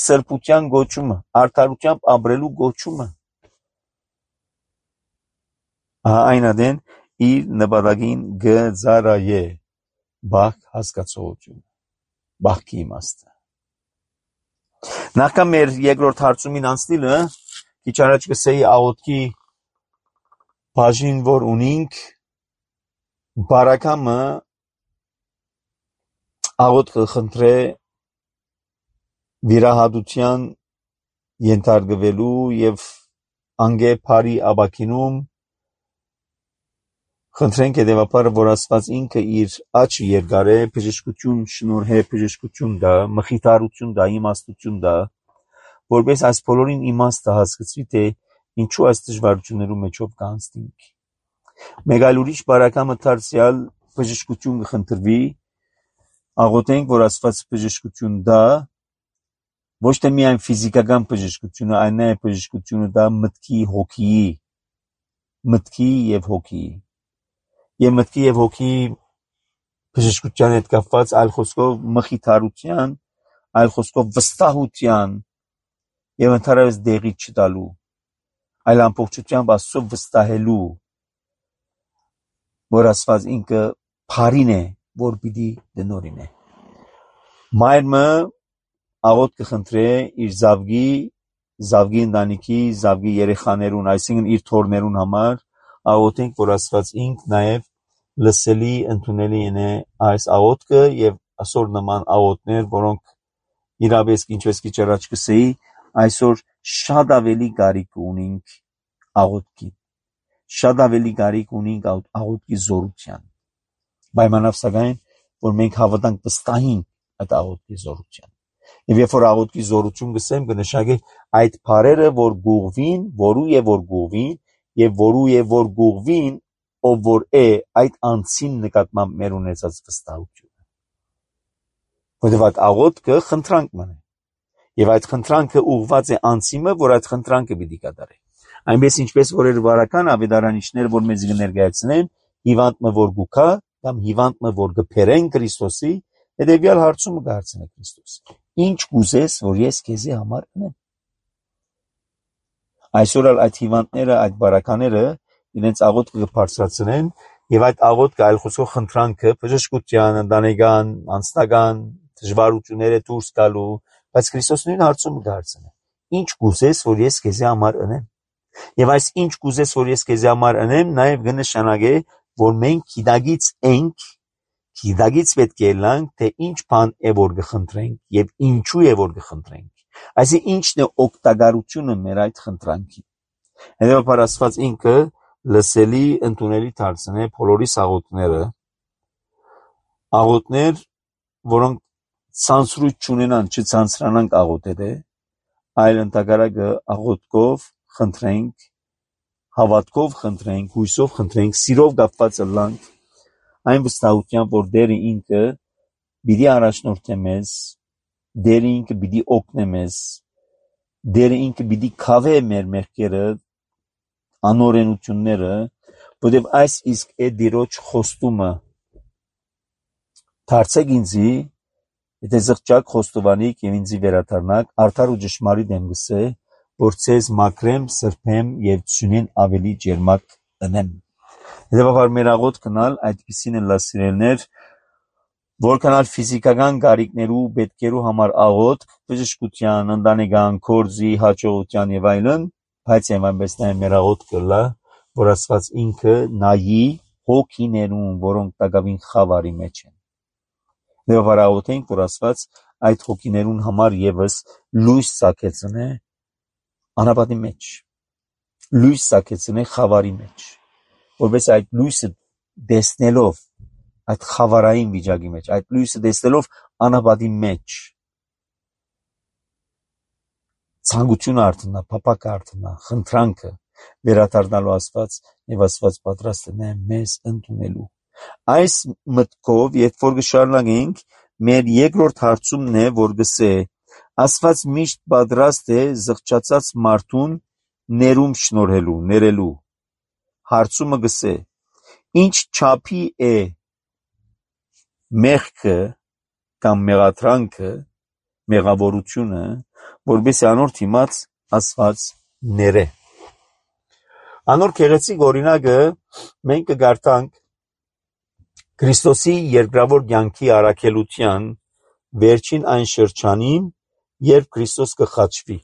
սրբության գոչումը արդարությամբ ապրելու գոչումը այն ադեն իր նպատակին գծարայե բախ հասկացողությունը բախքի իմաստը նախքան մեր երկրորդ հարցումին անցնելը քիչ առաջ կսեի աղոթքի բաժին որ ունենք բարակամը աղոթքը խնդրե վիրահատության ենթարկվելու եւ անգե բարի աբակինում խնդրենք հետևաբար որ Աստված ինքը իր աչքը երկարե բժշկություն շնորհե բժշկություն դա մխիթարություն դա իմաստություն դա որպես այս բոլորին իմաստը հասկացվի թե ինչու այս դժվարություններու մեջով կանցնենք մեկ այլ ուրիշ բարակամը դարձյալ բժշկություն կխնդրվի աղոթենք որ Աստված բժշկություն դա ոչ թե միայն ֆիզիկական բժշկությունը այլ նաև բժշկությունը դա մտքի եւ հոգի եւ մտքի եւ հոգի բժշկության հետ կապված այլ խոսքով մխիթարության այլ խոսքով վստահության եւ ընդհանրապես դեղի չտալու այլ ամբողջությամբ Աստծո վստահելու որ Աստված ինքը բարին է որ պիտի դնորին է մայրը աղոթ կխնդրե իր զավգի ընտանիքի զավգի երեխաներուն այսինքն իր թորներուն համար աղոթենք որ Աստված ինք նաև լսելի ընդունելի είναι այս աղոթքը եւ այսօր նման աղոթներ որոնք իրապես ինչպես քիչ առաջ կսեի այսօր շատ ավելի կարիք ունենք աղոթքի շատ ավելի կարիք ունենք աղոթքի զորության պայմանով սակայն որ մենք հավատանք վստահենք այդ աղոթքի զորության եւ երբ որ աղոթքի զորություն գսեմ կնշանակի այդ բարերը որ գուղվին որու եւ որ գուղվին եւ որու եւ որ գուղվին ով որ է այդ անցին նկատմամբ մեր ունեցած վստահությունը որովհետեւ այդ աղոթքը խնդրանք մնա եւ այդ խնդրանքը ուղղված է անցիմը որ այդ խնդրանքը պիտի կատարի այնպես ինչպես որ երբարական ավետարանիչներ որ մեզ կներկայացնեն հիվանդը որ գուքա կամ հիվանդը որ գփերեն Քրիստոսի հետեւյալ հարցումը կհարցնե Քրիստոս ինչ կուզես որ ես քեզի համար անեմ այսօր այդ հիվանդները այդ բարականները իրենց աղոթքը կբարձրացնեն եւ այդ աղոթքը այլ խոսքով խնդրանքը բժշկության ընտանեկան անձնական դժվարությունները դուրս գալու, բայց Քրիստոս նույն հարցումը դարձնում է. ինչ կուզես, որ ես քեզի համար ընեմ։ Եվ այս ինչ կուզես, որ ես քեզի համար ընեմ, նաև կնշանակե, որ մենք գիտագից պետք է ելանք, թե ինչ բան է որ կխնդրենք եւ ինչու է որ կխնդրենք։ Այսինքն ինչն է օգտակարությունը մեր այդ խնդրանքի։ Հետևաբար Աստված ինքը լսելի ընդունելի դարձնե բոլորիս աղոթներ, որոնք ցանցրույթ չունենան, չցանցրանանք աղոթել, այլ ընդհակառակը աղոթքով խնդրենք, հավատքով խնդրենք, հույսով խնդրենք, սիրով կապված ըլլանք, այն վստահությամբ, որ Տերը ինքը պիտի առաջնորդե մեզ, Տերը ինքը պիտի օգնե մեզ, Տերը ինքը պիտի քավե մեր մեղքերը, անօրենությունները, որտեղ այս իսկ է Տիրոջ խոստումը։ Դարձեք ինձի, եթե զղջակ խոստովանիք եւ ինձի վերադառնաք, արդար ու ճշմարիտ եմ գսե, որ ցեզ մաքրեմ, սրբեմ եւ ծունեն ավելի ջերմակ ընեմ։ Հետևաբար մեր աղոթքնալ այդպիսին են լասիրելներ, որքանալ ֆիզիկական կարիքներու, պետքերու համար աղոթք, բժշկության, ընտանեկան, գործի, հաջողության եւ այլն, բայց եւ այնպես նաեւ մեր աղոթքը լա, որ Աստված ինքը նայի հոգիներուն, որոնք տակավին խավարի մեջ են։ Հետևաբար աղոթենք, որ Աստված այդ հոգիներուն համար եւս լույս սակեցնե անապատի մեջ, լույս սակեցնե խավարի մեջ, որպես այդ լույսը դեսնելով այդ խավարային վիճակի մեջ, այդ լույսը դեսնելով անապատի մեջ, ցանկությունը արտնա, փափակը արտնա, խնդրանքը վերադառնալու Աստված եւ Աստված պատրաստ է մեզ ընդունելու։ Այս մտքով, երբ որ կշարունակենք, մեր երկրորդ հարցումն է, որ գսե Աստված միշտ պատրաստ է զղջացած մարդուն ներում շնորհելու, ներելու։ Հարցումը գսե ինչ չափի է մեղքը կամ մեղադրանքը, մեղավորությունը, որովհետեւ անոր դիմաց Աստված ները։ Անոր գեղեցիկ օրինակը մենք կգարտանք Քրիստոսի երկրավոր կյանքի առաքելության վերջին այն շրջանին, երբ Քրիստոս կխաչվի։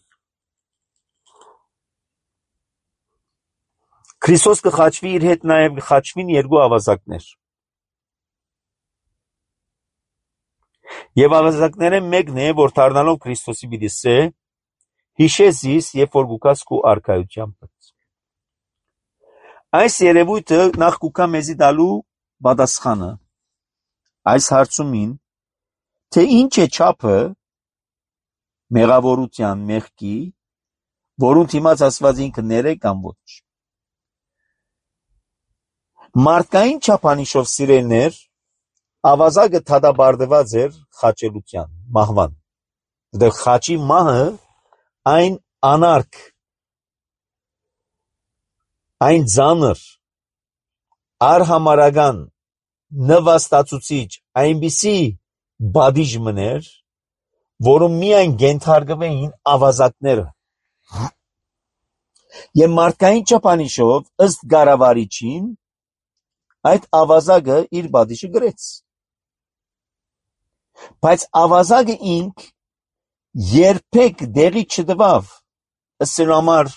Քրիստոս կխաչվի, իր հետ նաև կխաչվին երկու ավազակներ։ Եվ ավազակները մեկն է, որ դառնալով Քրիստոսի պիտի սե, հիշես իս, երբ որ գուկաս քու արքայությամբ։ Այս երևույթը նախ կուկա մեզի տալու պատասխանը այս հարցումին, թե ինչ է չափը մեղավորության, մեղքի, որուն դիմաց Աստված ինքը ները կամ ոչ։ Մարդկային չափանիշով սիրելներ, ավազակը դատապարտված էր խաչելության, մահվան։ Որտեղ խաչի մահը այն անարգ, այն ծանր, արհամարական, նվաստացուցիչ, այնպիսի բադիժ մներ, որում միայն գենթարգվեին ավազակները։ Եվ մարդկային չափանիշով ըստ կառավարիչին այդ ավազակը իր բադիժը գրեց։ Բայց ավազակը ինք երբեք դեղի չտվավ, ըստ սրա համար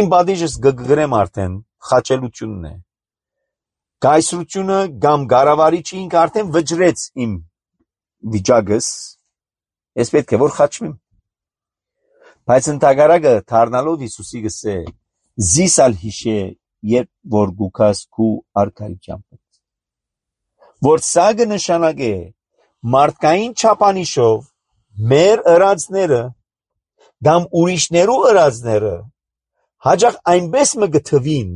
իմ բադիժս գգրեմ արդեն խաչելությունն է։ Գայսրությունը կամ կառավարիչը ինք արդեն վճռեց իմ վիճակս, ես պետք է որ խաչվեմ։ Բայց ընդհակառակը դառնալով Հիսուսի գսե զիսալ հիշե, երբ որ գուքաս քու արքայությամբ։ Որ սա կնշանակե մարդկային չափանիշով մեր ըրածները կամ ուրիշներու ըրածները հաճախ այնպես մը գթվին,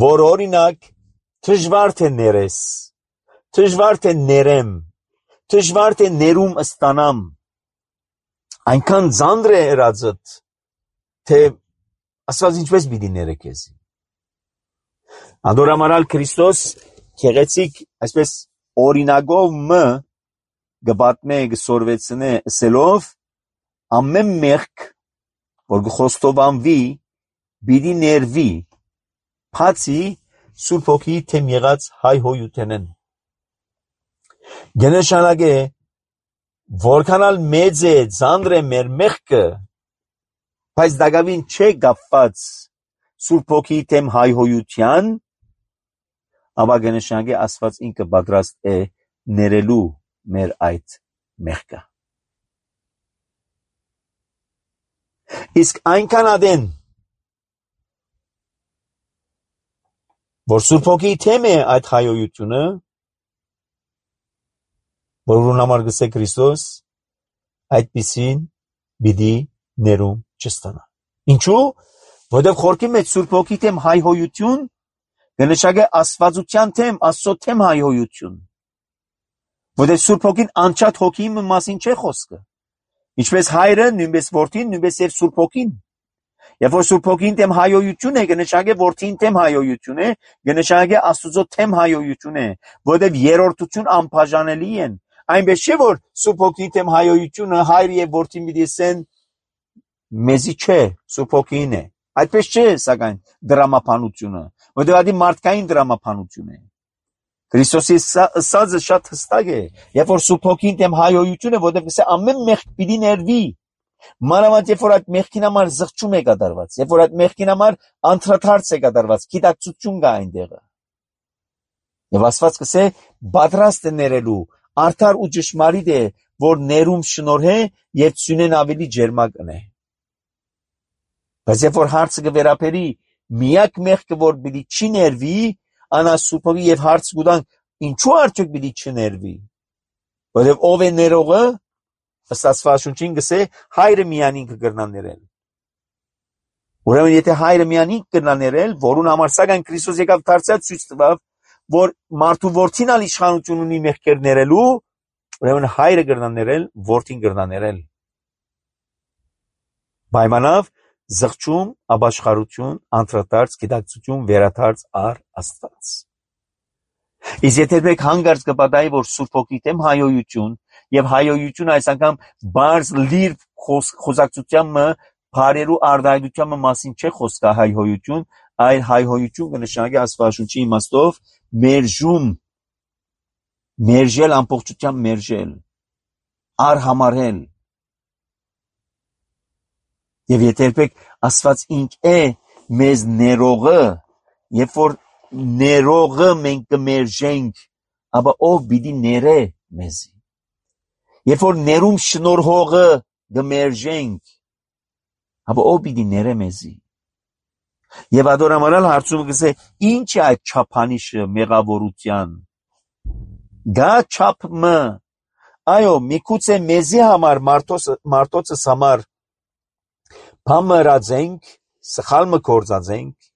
որ օրինակ դժվար թե ներես, դժվար թե ներեմ, դժվար թե ներում ստանամ, այնքան ծանր է ըրածդ, թե Աստված ինչպես պիտի ները քեզի։ Անդորամարալ Քրիստոս գեղեցիկ այսպես օրինակով մը գբատմե գսորվեցնե սելով ամեն մեղք որ գխոստովանվի պիտի ներվի բացի Սուրբ Հոգի թեմ եղած հայհոյութենեն։ Գնշանագե որքանալ մեծ է ծանր է մեր մեղքը, բայց դակավին չէ կապված Սուրբ Հոգի թեմ հայհոյության, ապա գնշանագե Աստված ինքը պատրաստ է ներելու մեր այդ մեղքը։ Իսկ այնքան ադեն, որ Սուրբ Հոգի թեմ է այդ հայհոյությունը, որուն համար գսե Քրիստոս, այդպիսին պիտի ներում չստանա։ Ինչու՞, որովհետև խորքի մեջ Սուրբ Հոգի թեմ հայհոյություն կնշանակե Աստվածության թեմ, Աստծո թեմ հայհոյություն։ Որովհետև Սուրբ Հոգին անչափ հոգի մասին չէ խոսքը։ Ինչպես Հայրը, նույնպես Որդին, նույնպես եւ Սուրբ Հոգին։ Երբ որ Սուրբ Հոգին թեմ հայհոյություն է, կնշանակե Որդին թեմ հայհոյություն է, կնշանակե Աստծո թեմ հայհոյություն է, որովհետև երրորդություն անբաժանելի են։ Այնպես չէ, որ Սուրբ Հոգի թեմ հայհոյությունը Հայրը եւ Որդին պիտի ասեն մեզի չէ, Սուրբ Հոգին է։ Այդպես չէ, սակայն դրամապանությունը, որովհետև դա մարդկային դրամապանություն է։ Քրիստոսի ասածը շատ հստակ է, երբ որ Սուրբ Հոգին թեմ հայհոյությունը, որովհետև ասե ամեն մեղք պիտի ներվի։ Մանավանդ երբ որ այդ մեղքին համար զղջում է կատարված, երբ որ այդ մեղքին համար անդրադարձ է կատարված, գիտակցություն կա այնտեղը։ Եվ Աստված կսե պատրաստ է ներելու, արդար ու ճշմարիտ է, որ ներում շնորհե եւ ցունեն ավելի ջերմակ ընե։ Բայց երբ որ հարցը կվերապերի միակ մեղքը, որ պիտի չի ներվի, անա Սուրբ Հոգի եւ հարց կուտան, ինչու արդյոք պիտի չներվի։ Որովհետեւ ով է ներողը, ըստ Աստվածաշունչին գսե Հայրը միանին կգրնա ներել։ Ուրեմն եթե Հայրը միանին կգրնա ներել, որուն համար սակայն Քրիստոս եկավ դարձյալ ցույց տվավ, որ մարդու որդին ալ իշխանություն ունի մեղքեր ներելու, ուրեմն Հայրը կգրնա ներել, որդին կգրնա ներել։ Պայմանավ զղջում, ապաշխարություն, անդրադարձ, գիտակցություն, վերադարձ առ Աստված։ Իսկ եթե դուք հանգարց կպատահի, որ Սուրբ Հոգի թեմ հայհոյություն եւ հայհոյությունը այս անգամ բարձ լիր խոսակցությանը բարերու արտահայտության մասին չէ խոսքը հայհոյություն, այլ հայհոյություն կնշանակի Աստվածաշունչի իմաստով մերժում, մերժել ամբողջությամբ մերժել, արհամարել։ Եվ եթե երբեք Աստված ինք է մեզ ներողը, երբ որ ներողը մենք կմերժենք, ապա ով պիտի ներե մեզի։ Երբ որ ներում շնորհողը կմերժենք, ապա ով պիտի ներե մեզի։ Եվ ադորամարալ հարցումը կսե, ինչ է այդ չափանիշը մեղավորության։ Գա չափը, այո, միգուցե մեզի համար, մարդոցս համար փամրածենք, սխալ մը կործածենք,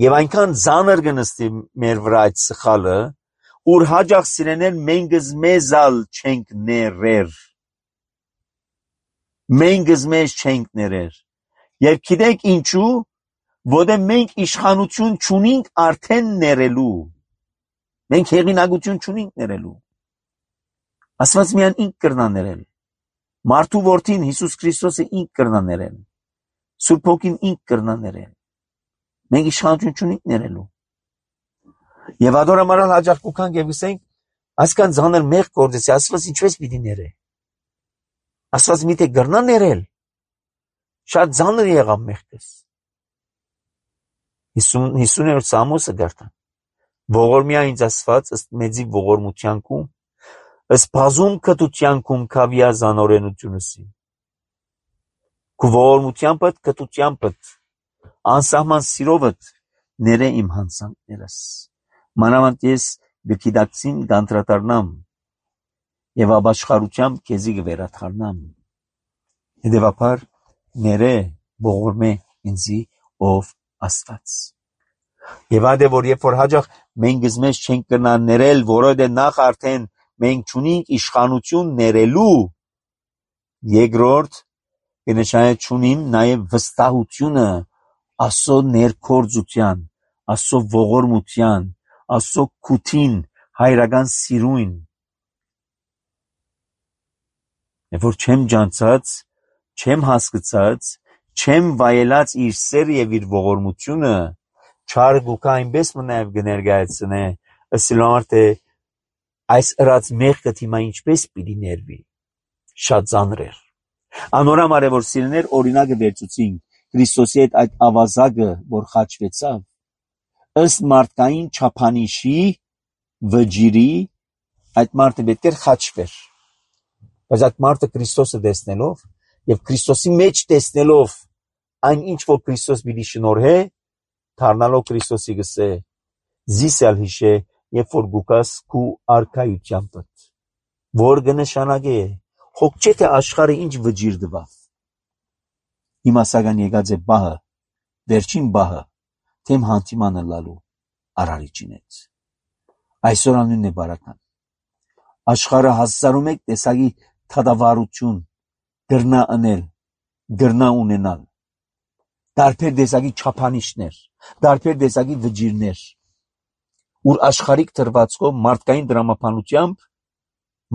եւ այնքան ծանր կնստի մեր վրա այդ սխալը, ուր հաջող սիրենել մենք մեզալ չենք ներեր։ Մենք մեզ չենք ներեր։ Եվ գիտեք ինչու, որտեղ մենք իշխանություն չունենք արդեն ներելու։ Մենք հեղինակություն չունենք ներելու։ Աստված միայն ինք կրնա ներել։ Մարդու որդին Հիսուս Քրիստոսը ինք կրնա ներել։ Սուրբ Հոգին ինք կրնա ներել։ Մենք իշխանություն չունենք ներելու։ Եվ ադորամարալ հաջող կուքանք եւ գսենք, այսքան ծանր մեղք գործեցի, Աստված ինչպես պիտի ներե։ Աստված միթե կրնա ներել։ Շատ ծանր եղավ մեղքս։ 50-րդ Սամոսը գարտան։ Ողորմիա ինձ Աստված ըստ մեծի ողորմությանքում, ըստ բազում կտությանքում քավիա զանորենությունըսի։ Քու ողորմությանպդ, կտությանպդ, անսահման սիրովդ ներե իմ հանցանքներս։ Մանավանդ ես գիտակցին կանդրադառնամ եւ ապաշխարությամբ քեզի կվերաթարնամ։ Հետևաբար ներե ողորմե ինձի ով Աստված։ Եվ այդ է որ երբ որ հաջող մենք մեզ չենք կրնա ներել, որովհետեւ նախ արդեն մենք չունենք իշխանություն ներելու, երկրորդ կնշանակի չունիմ նաեւ վստահությունը Աստծո ներքործության, Աստծո ողորմության, Աստծո քութին, հայրական սիրուն։ Երբ որ չեմ ջանցած, չեմ հասկացած, չեմ վայելած իր սերը եւ իր ողորմությունը, չար գուքա այնպես մնայվ կներկայացնե, ըստ համար թե այս ըրած մեղքը թիմա ինչպես պիտի ներվի, շատ ծանր էր։ Անորամար է, որ սիրներ օրինակը վերցուցին Քրիստոսի հետ այդ ավազակը, որ խաչվեցավ, ըստ մարդկային չափանիշի վճիրի այդ մարդը պետք էր խաչվեր, բայց այդ մարդը Քրիստոսը տեսնելով եւ Քրիստոսի մեջ տեսնելով այն ինչ որ Քրիստոս պիտի շնորհե, դառնալով Քրիստոսի գսե զիսալ հիշե, երբ որ գուկաս քու արքայությամբ, որ կնշանակե հոգ չէ թե աշխարհը ինչ վճիր դվավ։ Հիմա սակայն եկած է բահը, վերջին բահը, թեմ հանդիմանը լալու արարիչին հետ։ Այսօր անունն է բարական։ Աշխարհը 1001 տեսակի թադավարություն գրնա անել, գրնա ունենալ, տարբեր տեսակի չափանիշներ, տարբեր տեսակի վճիրներ, ուր աշխարհիկ դրվածքով մարդկային դրամապանությամբ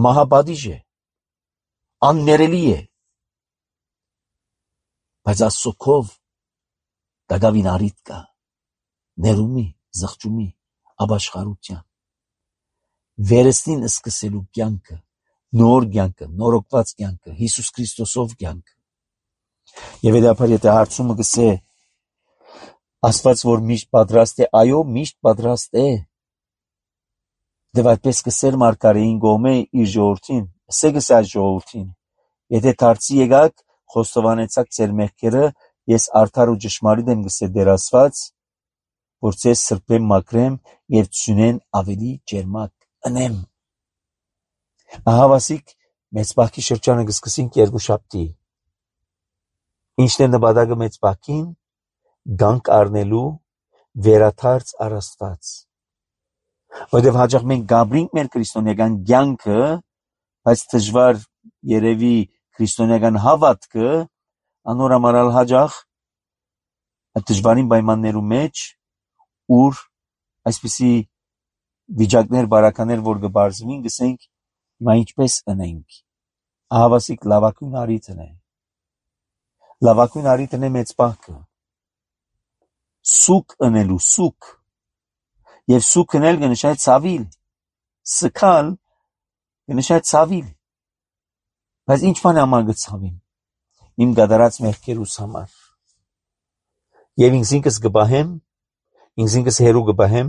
մահապատիժ է, աններելի է, բայց Աստծոքով դակավին առիթ կա, ներումի, զղջումի, ապաշխարության, վերստին սկսելու կյանքը, նոր կյանքը, նորոգված կյանքը, Հիսուս Քրիստոսով կյանքը։ Եվ հետապար եթե հարցումը գսե Աստված որ միշտ պատրաստ է, այո, միշտ պատրաստ է, դե այդպես կսեր մարգարեին գոմե իր ժողովրդին, սե գսե այս ժողովրդին, եթե դարձի եկաք, խոստովանեցաք ձեր մեղքերը, ես արդար ու ճշմարիտ եմ գսե դեր Աստված, որ ձեզ սրբեմ մաքրեմ եւ ծյունեն ավելի ջերմակ ընեմ։ Ահավասիկ մեծ բախի շրջանը կսկսենք երկուշաբթի։ Ինչն է նպատակը մեծ բախին, գանք առնելու վերաթարց առ Աստված։ Որտեւ հաճախ մենք գաբրինք մեր քրիստոնեական կյանքը, բայց դժվար երևի քրիստոնեական հավատքը անորամարալ հաճախ դժվարին պայմաններու մեջ, ուր այսպիսի վիճակներ բարականեր որ կբարձվին, գսենք հիմա ինչպես ընենք։ Ահավասիկ լավակույն առիթն է։ Լավակույն առիթն է մեծ բախը։ Սուկ ընելու, սուկ։ Եվ սուկ ընել կնշանակի ցավիլ, սքալ կնշանակի ցավիլ։ Բայց ինչ բան համար կցավին։ Իմ գդարած մեղքերուս համար։ Եվ ինքս կբահեմ, ինքս հերու կբահեմ,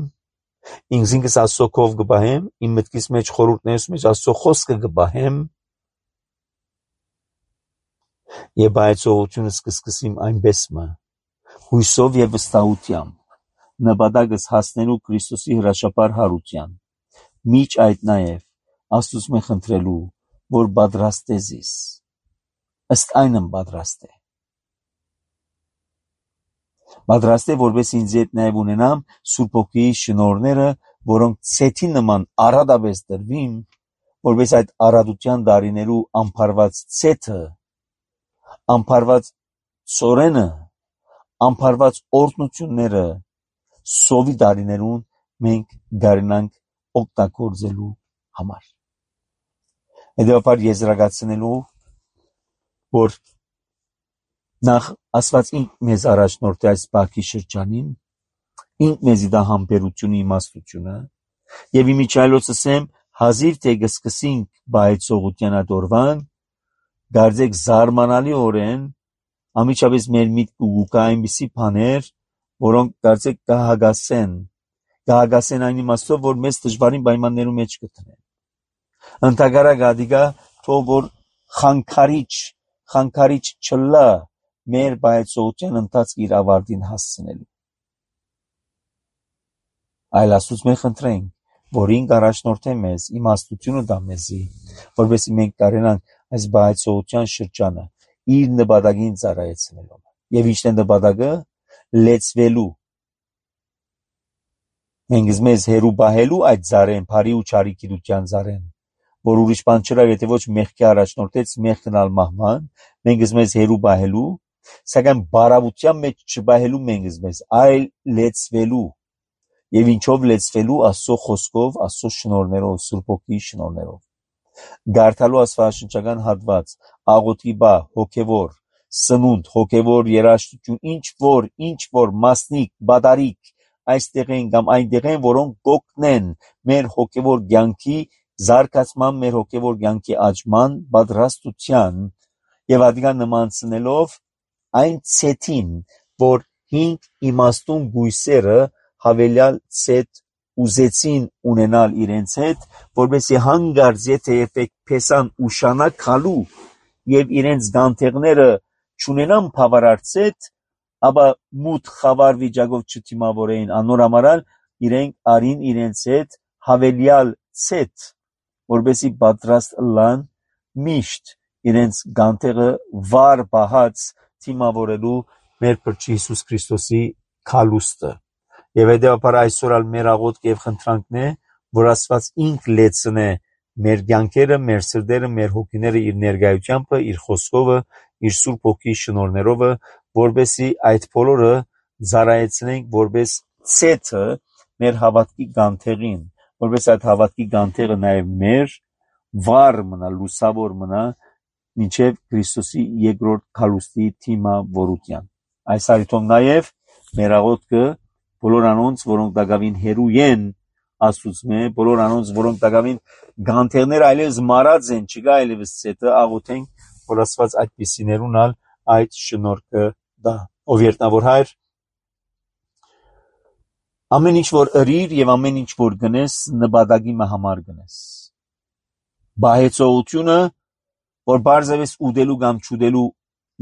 ինքս Աստծոքով կբահեմ, իմ մտքիս մեջ խորհուրդներս մեջ Աստծո խոսքը կբահեմ, եւ բայցողությունը կսկսեմ այնպես մը, հույսով եւ վստահությամբ, նպատակս հասնելու Քրիստոսի հրաշապար հարության, միջ այդ նաեւ Աստծուց մե խնդրելու, որ պատրաստ է զիս, ըստ այնմ պատրաստ է։ Պատրաստ է, որպես ինձ հետ նաև ունենամ Սուրբ Հոգիի շնորհները, որոնք ցեթի նման առադապես դրվին, որպես այդ առադության դարիներու ամփարված ցեթը, ամփարված ծորենը, ամփարված օրհնությունները սովի դարիներուն մենք գարնանք օգտագործելու համար։ Հետևաբար եզրակացնելու, որ նախ Աստված ինք մեզ առաջնորդ է այս բախի շրջանին, ինք մեզի դա համբերությունը, իմաստությունը, եւ իմիջայլոց ասեմ, հազիվ թե կսկսենք բայցողության ադորվան, դարձեք զարմանալի օրեն, ամիջապես մեր միտքը ուկա այնպիսի բաներ, որոնք դարձեք կհագասեն այն իմաստով, որ մեզ դժվարին պայմաններու մեջ կտնեն։ Ընդհակառակ ադիգա թող որ խանգարիչ չլա մեր բայցողության ընթացքը իր ավարտին հասցնելու։ Այլ Աստծուց մենք խնդրենք, որ ինք առաջնորդե մեզ, իմաստությունը տա մեզի, որովհետեւ մենք կարենանք այս բայցողության շրջանը իր նպատակին ծառայեցնելու։ Եվ ինչ է նպատակը լեցվելու։ Մենք մեզ հերու բահելու այդ ծառեն, բարի ու չարի գիտության ծառեն, որ ուրիշ բան չկա, եթե ոչ մեղքի առաջնորդեց մեղքնալ մահման, մենք մեզ հերու բահելու, սակայն բարավության մեջ չբահելու մենք մեզ, այլ լեցվելու։ Եվ ինչով լեցվելու Աստծո խոսքով, Աստծո շնորհներով, Սուրբ Հոգիի շնորհներով։ Գարթալու աստվածաշնչական հատված, աղոթքի բա, հոգևոր, սնունդ, հոգևոր երաժշտություն, ինչ որ մասնիկ, բադարիկ, այստեղ են կամ այնտեղ են, որոնք կօգնեն մեր հոգևոր կյանքի զարգացման մեր հոգևոր կյանքի աճման պատրաստության եւ ադիգան նմանցնելով այն ցետին, որ 5 իմաստուն գույսերը հավելյալ ցետ ուզեցին ունենալ իրենց հետ, որպեսզի հանգարց եթե երբեք փեսան ուշանակ քալու եւ իրենց գանթեղները չունենան բավարար ցետ, ապա մութ խավար վիճակով չդիմավորեին, անոր համարալ իրենք արին իրենց հետ հավելյալ ցետ, որպեսզի պատրաստ լան միշտ իրենց գանթեղը վար բահած դիմավորելու մեր Փրկիչ Հիսուս Քրիստոսի քալուստը։ Եվ հետևաբար այսօր ալ մեր աղոթք եւ խնդրանքն է, որ Աստված ինք լեցնե մեր կյանքերը, մեր սրտերը, մեր հոգիները իր ներկայությամբ, իր խոսքով, իր Սուրբ Հոգի շնորհներով, որպեսզի այդ բոլորը զարայեցնենք որպես ցեթը մեր հավատքի գանթեղին, որպես այդ հավատքի գանթեղը նաև մեր վառ մնա, լուսավոր մնա մինչև Քրիստոսի երկրորդ քալուստի թիմավորության։ Այս առիթով նաև մեր աղոթքը բոլոր անոնց, որոնք դակավին հերու են Աստծուց, բոլոր անոնց, որոնք դակավին գանթեղներ այլևս մարած են, չկա այլևս ցետը, աղոթենք, որ Աստված այդպիսիներուն ալ այդ շնորհքը դա։ Ով երտնավոր Հայր, ամեն ինչ որ ըրիր եւ ամեն ինչ որ գնես, նպատակի համար գնես։ Բահեցողությունը, որ բարձրապես ուտելու կամ չուտելու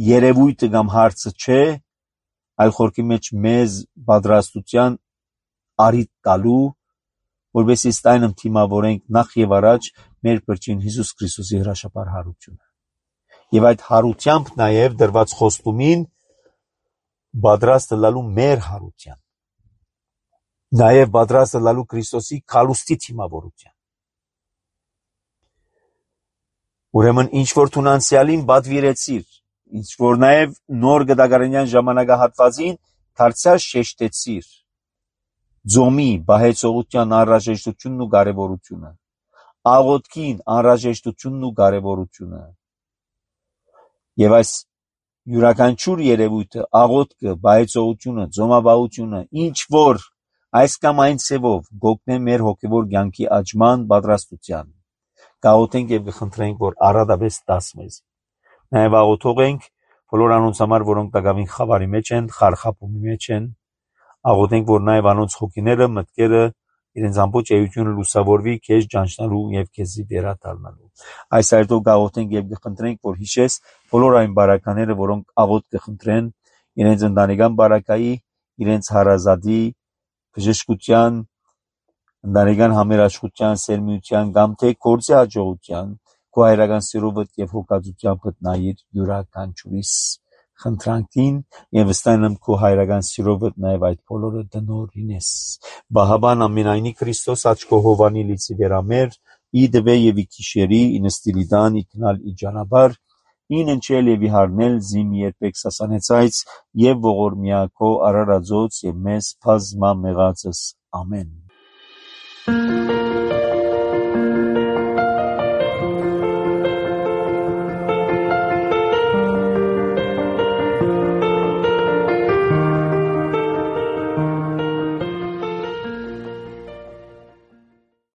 երևույթը կամ հարցը չէ, այլ խորքի մեջ մեզ պատրաստության արիթ տալու, որպեսզի ստայնմ թիմավորենք նախ եւ առաջ մեր Փրկին Հիսուս Քրիստոսի հրաշապար հարությունը։ Եվ այդ հարությամբ նաև դրված խոստումին պատրաստ լալու մեր հարության, նաև պատրաստ լալու Քրիստոսի քալուստի թիմավորության։ Ուրեմն ինչ որ թունանցյալին պատվիրեցիր, ինչ որ նաև նոր գդագարենյան ժամանակահատվածին դարձյալ շեշտեցիր ձոմի բահեցողության անհրաժեշտությունն ու կարևորությունը, աղոթքին անհրաժեշտությունն ու կարևորությունը։ Եվ այս յուրաքանչյուր երևույթը, աղոթքը, բահեցողությունը, ձոմաբահությունը, ինչ որ այս կամ այն ցևով գոգնե մեր հոգևոր կյանքի աճման պատրաստության։ Գաղութենք եւ կխնդրենք, որ առատապես դաս մեզ։ Նաև աղոթող ենք բոլոր անոնց համար, որոնք տակավին խավարի մեջ են, խարխափումի մեջ են, աղոթենք, որ նաև անոնց հոգիները, մտքերը, իրենց ամբողջ էությունը լուսավորվի քեզ ճանչնալու եւ քեզի վերադառնալու։ Այս այդով գաղութենք եւ կխնդրենք, որ հիշես բոլոր այն բարակաները, որոնք աղոթք կխնդրեն իրենց ընտանեկան բարակայի, իրենց հարազատի բժշկության, ընտանեկան համերաշխության, սերմիության կամ թե գործի հաջողության, քո հայրական սիրովդ եւ հոգածությամբ նայիր յուրաքանչյուրիս խնդրանքին եւ վստահ եմ քո հայրական սիրովդ նաեւ այդ բոլորը դնորինես։ Բահաբան ամենայնի Քրիստոս աչքո հովանի լիցի վերամեր, ի դվե եւ ի քիշերի, ի նստիլիդան, ի քնալ ի ջանաբար, Ին ընչել եւ իհարնել զիմ երբեք սասանեցայց եւ ողորմյա քո արարածոց եւ մեզ բազմամեղածս ամեն։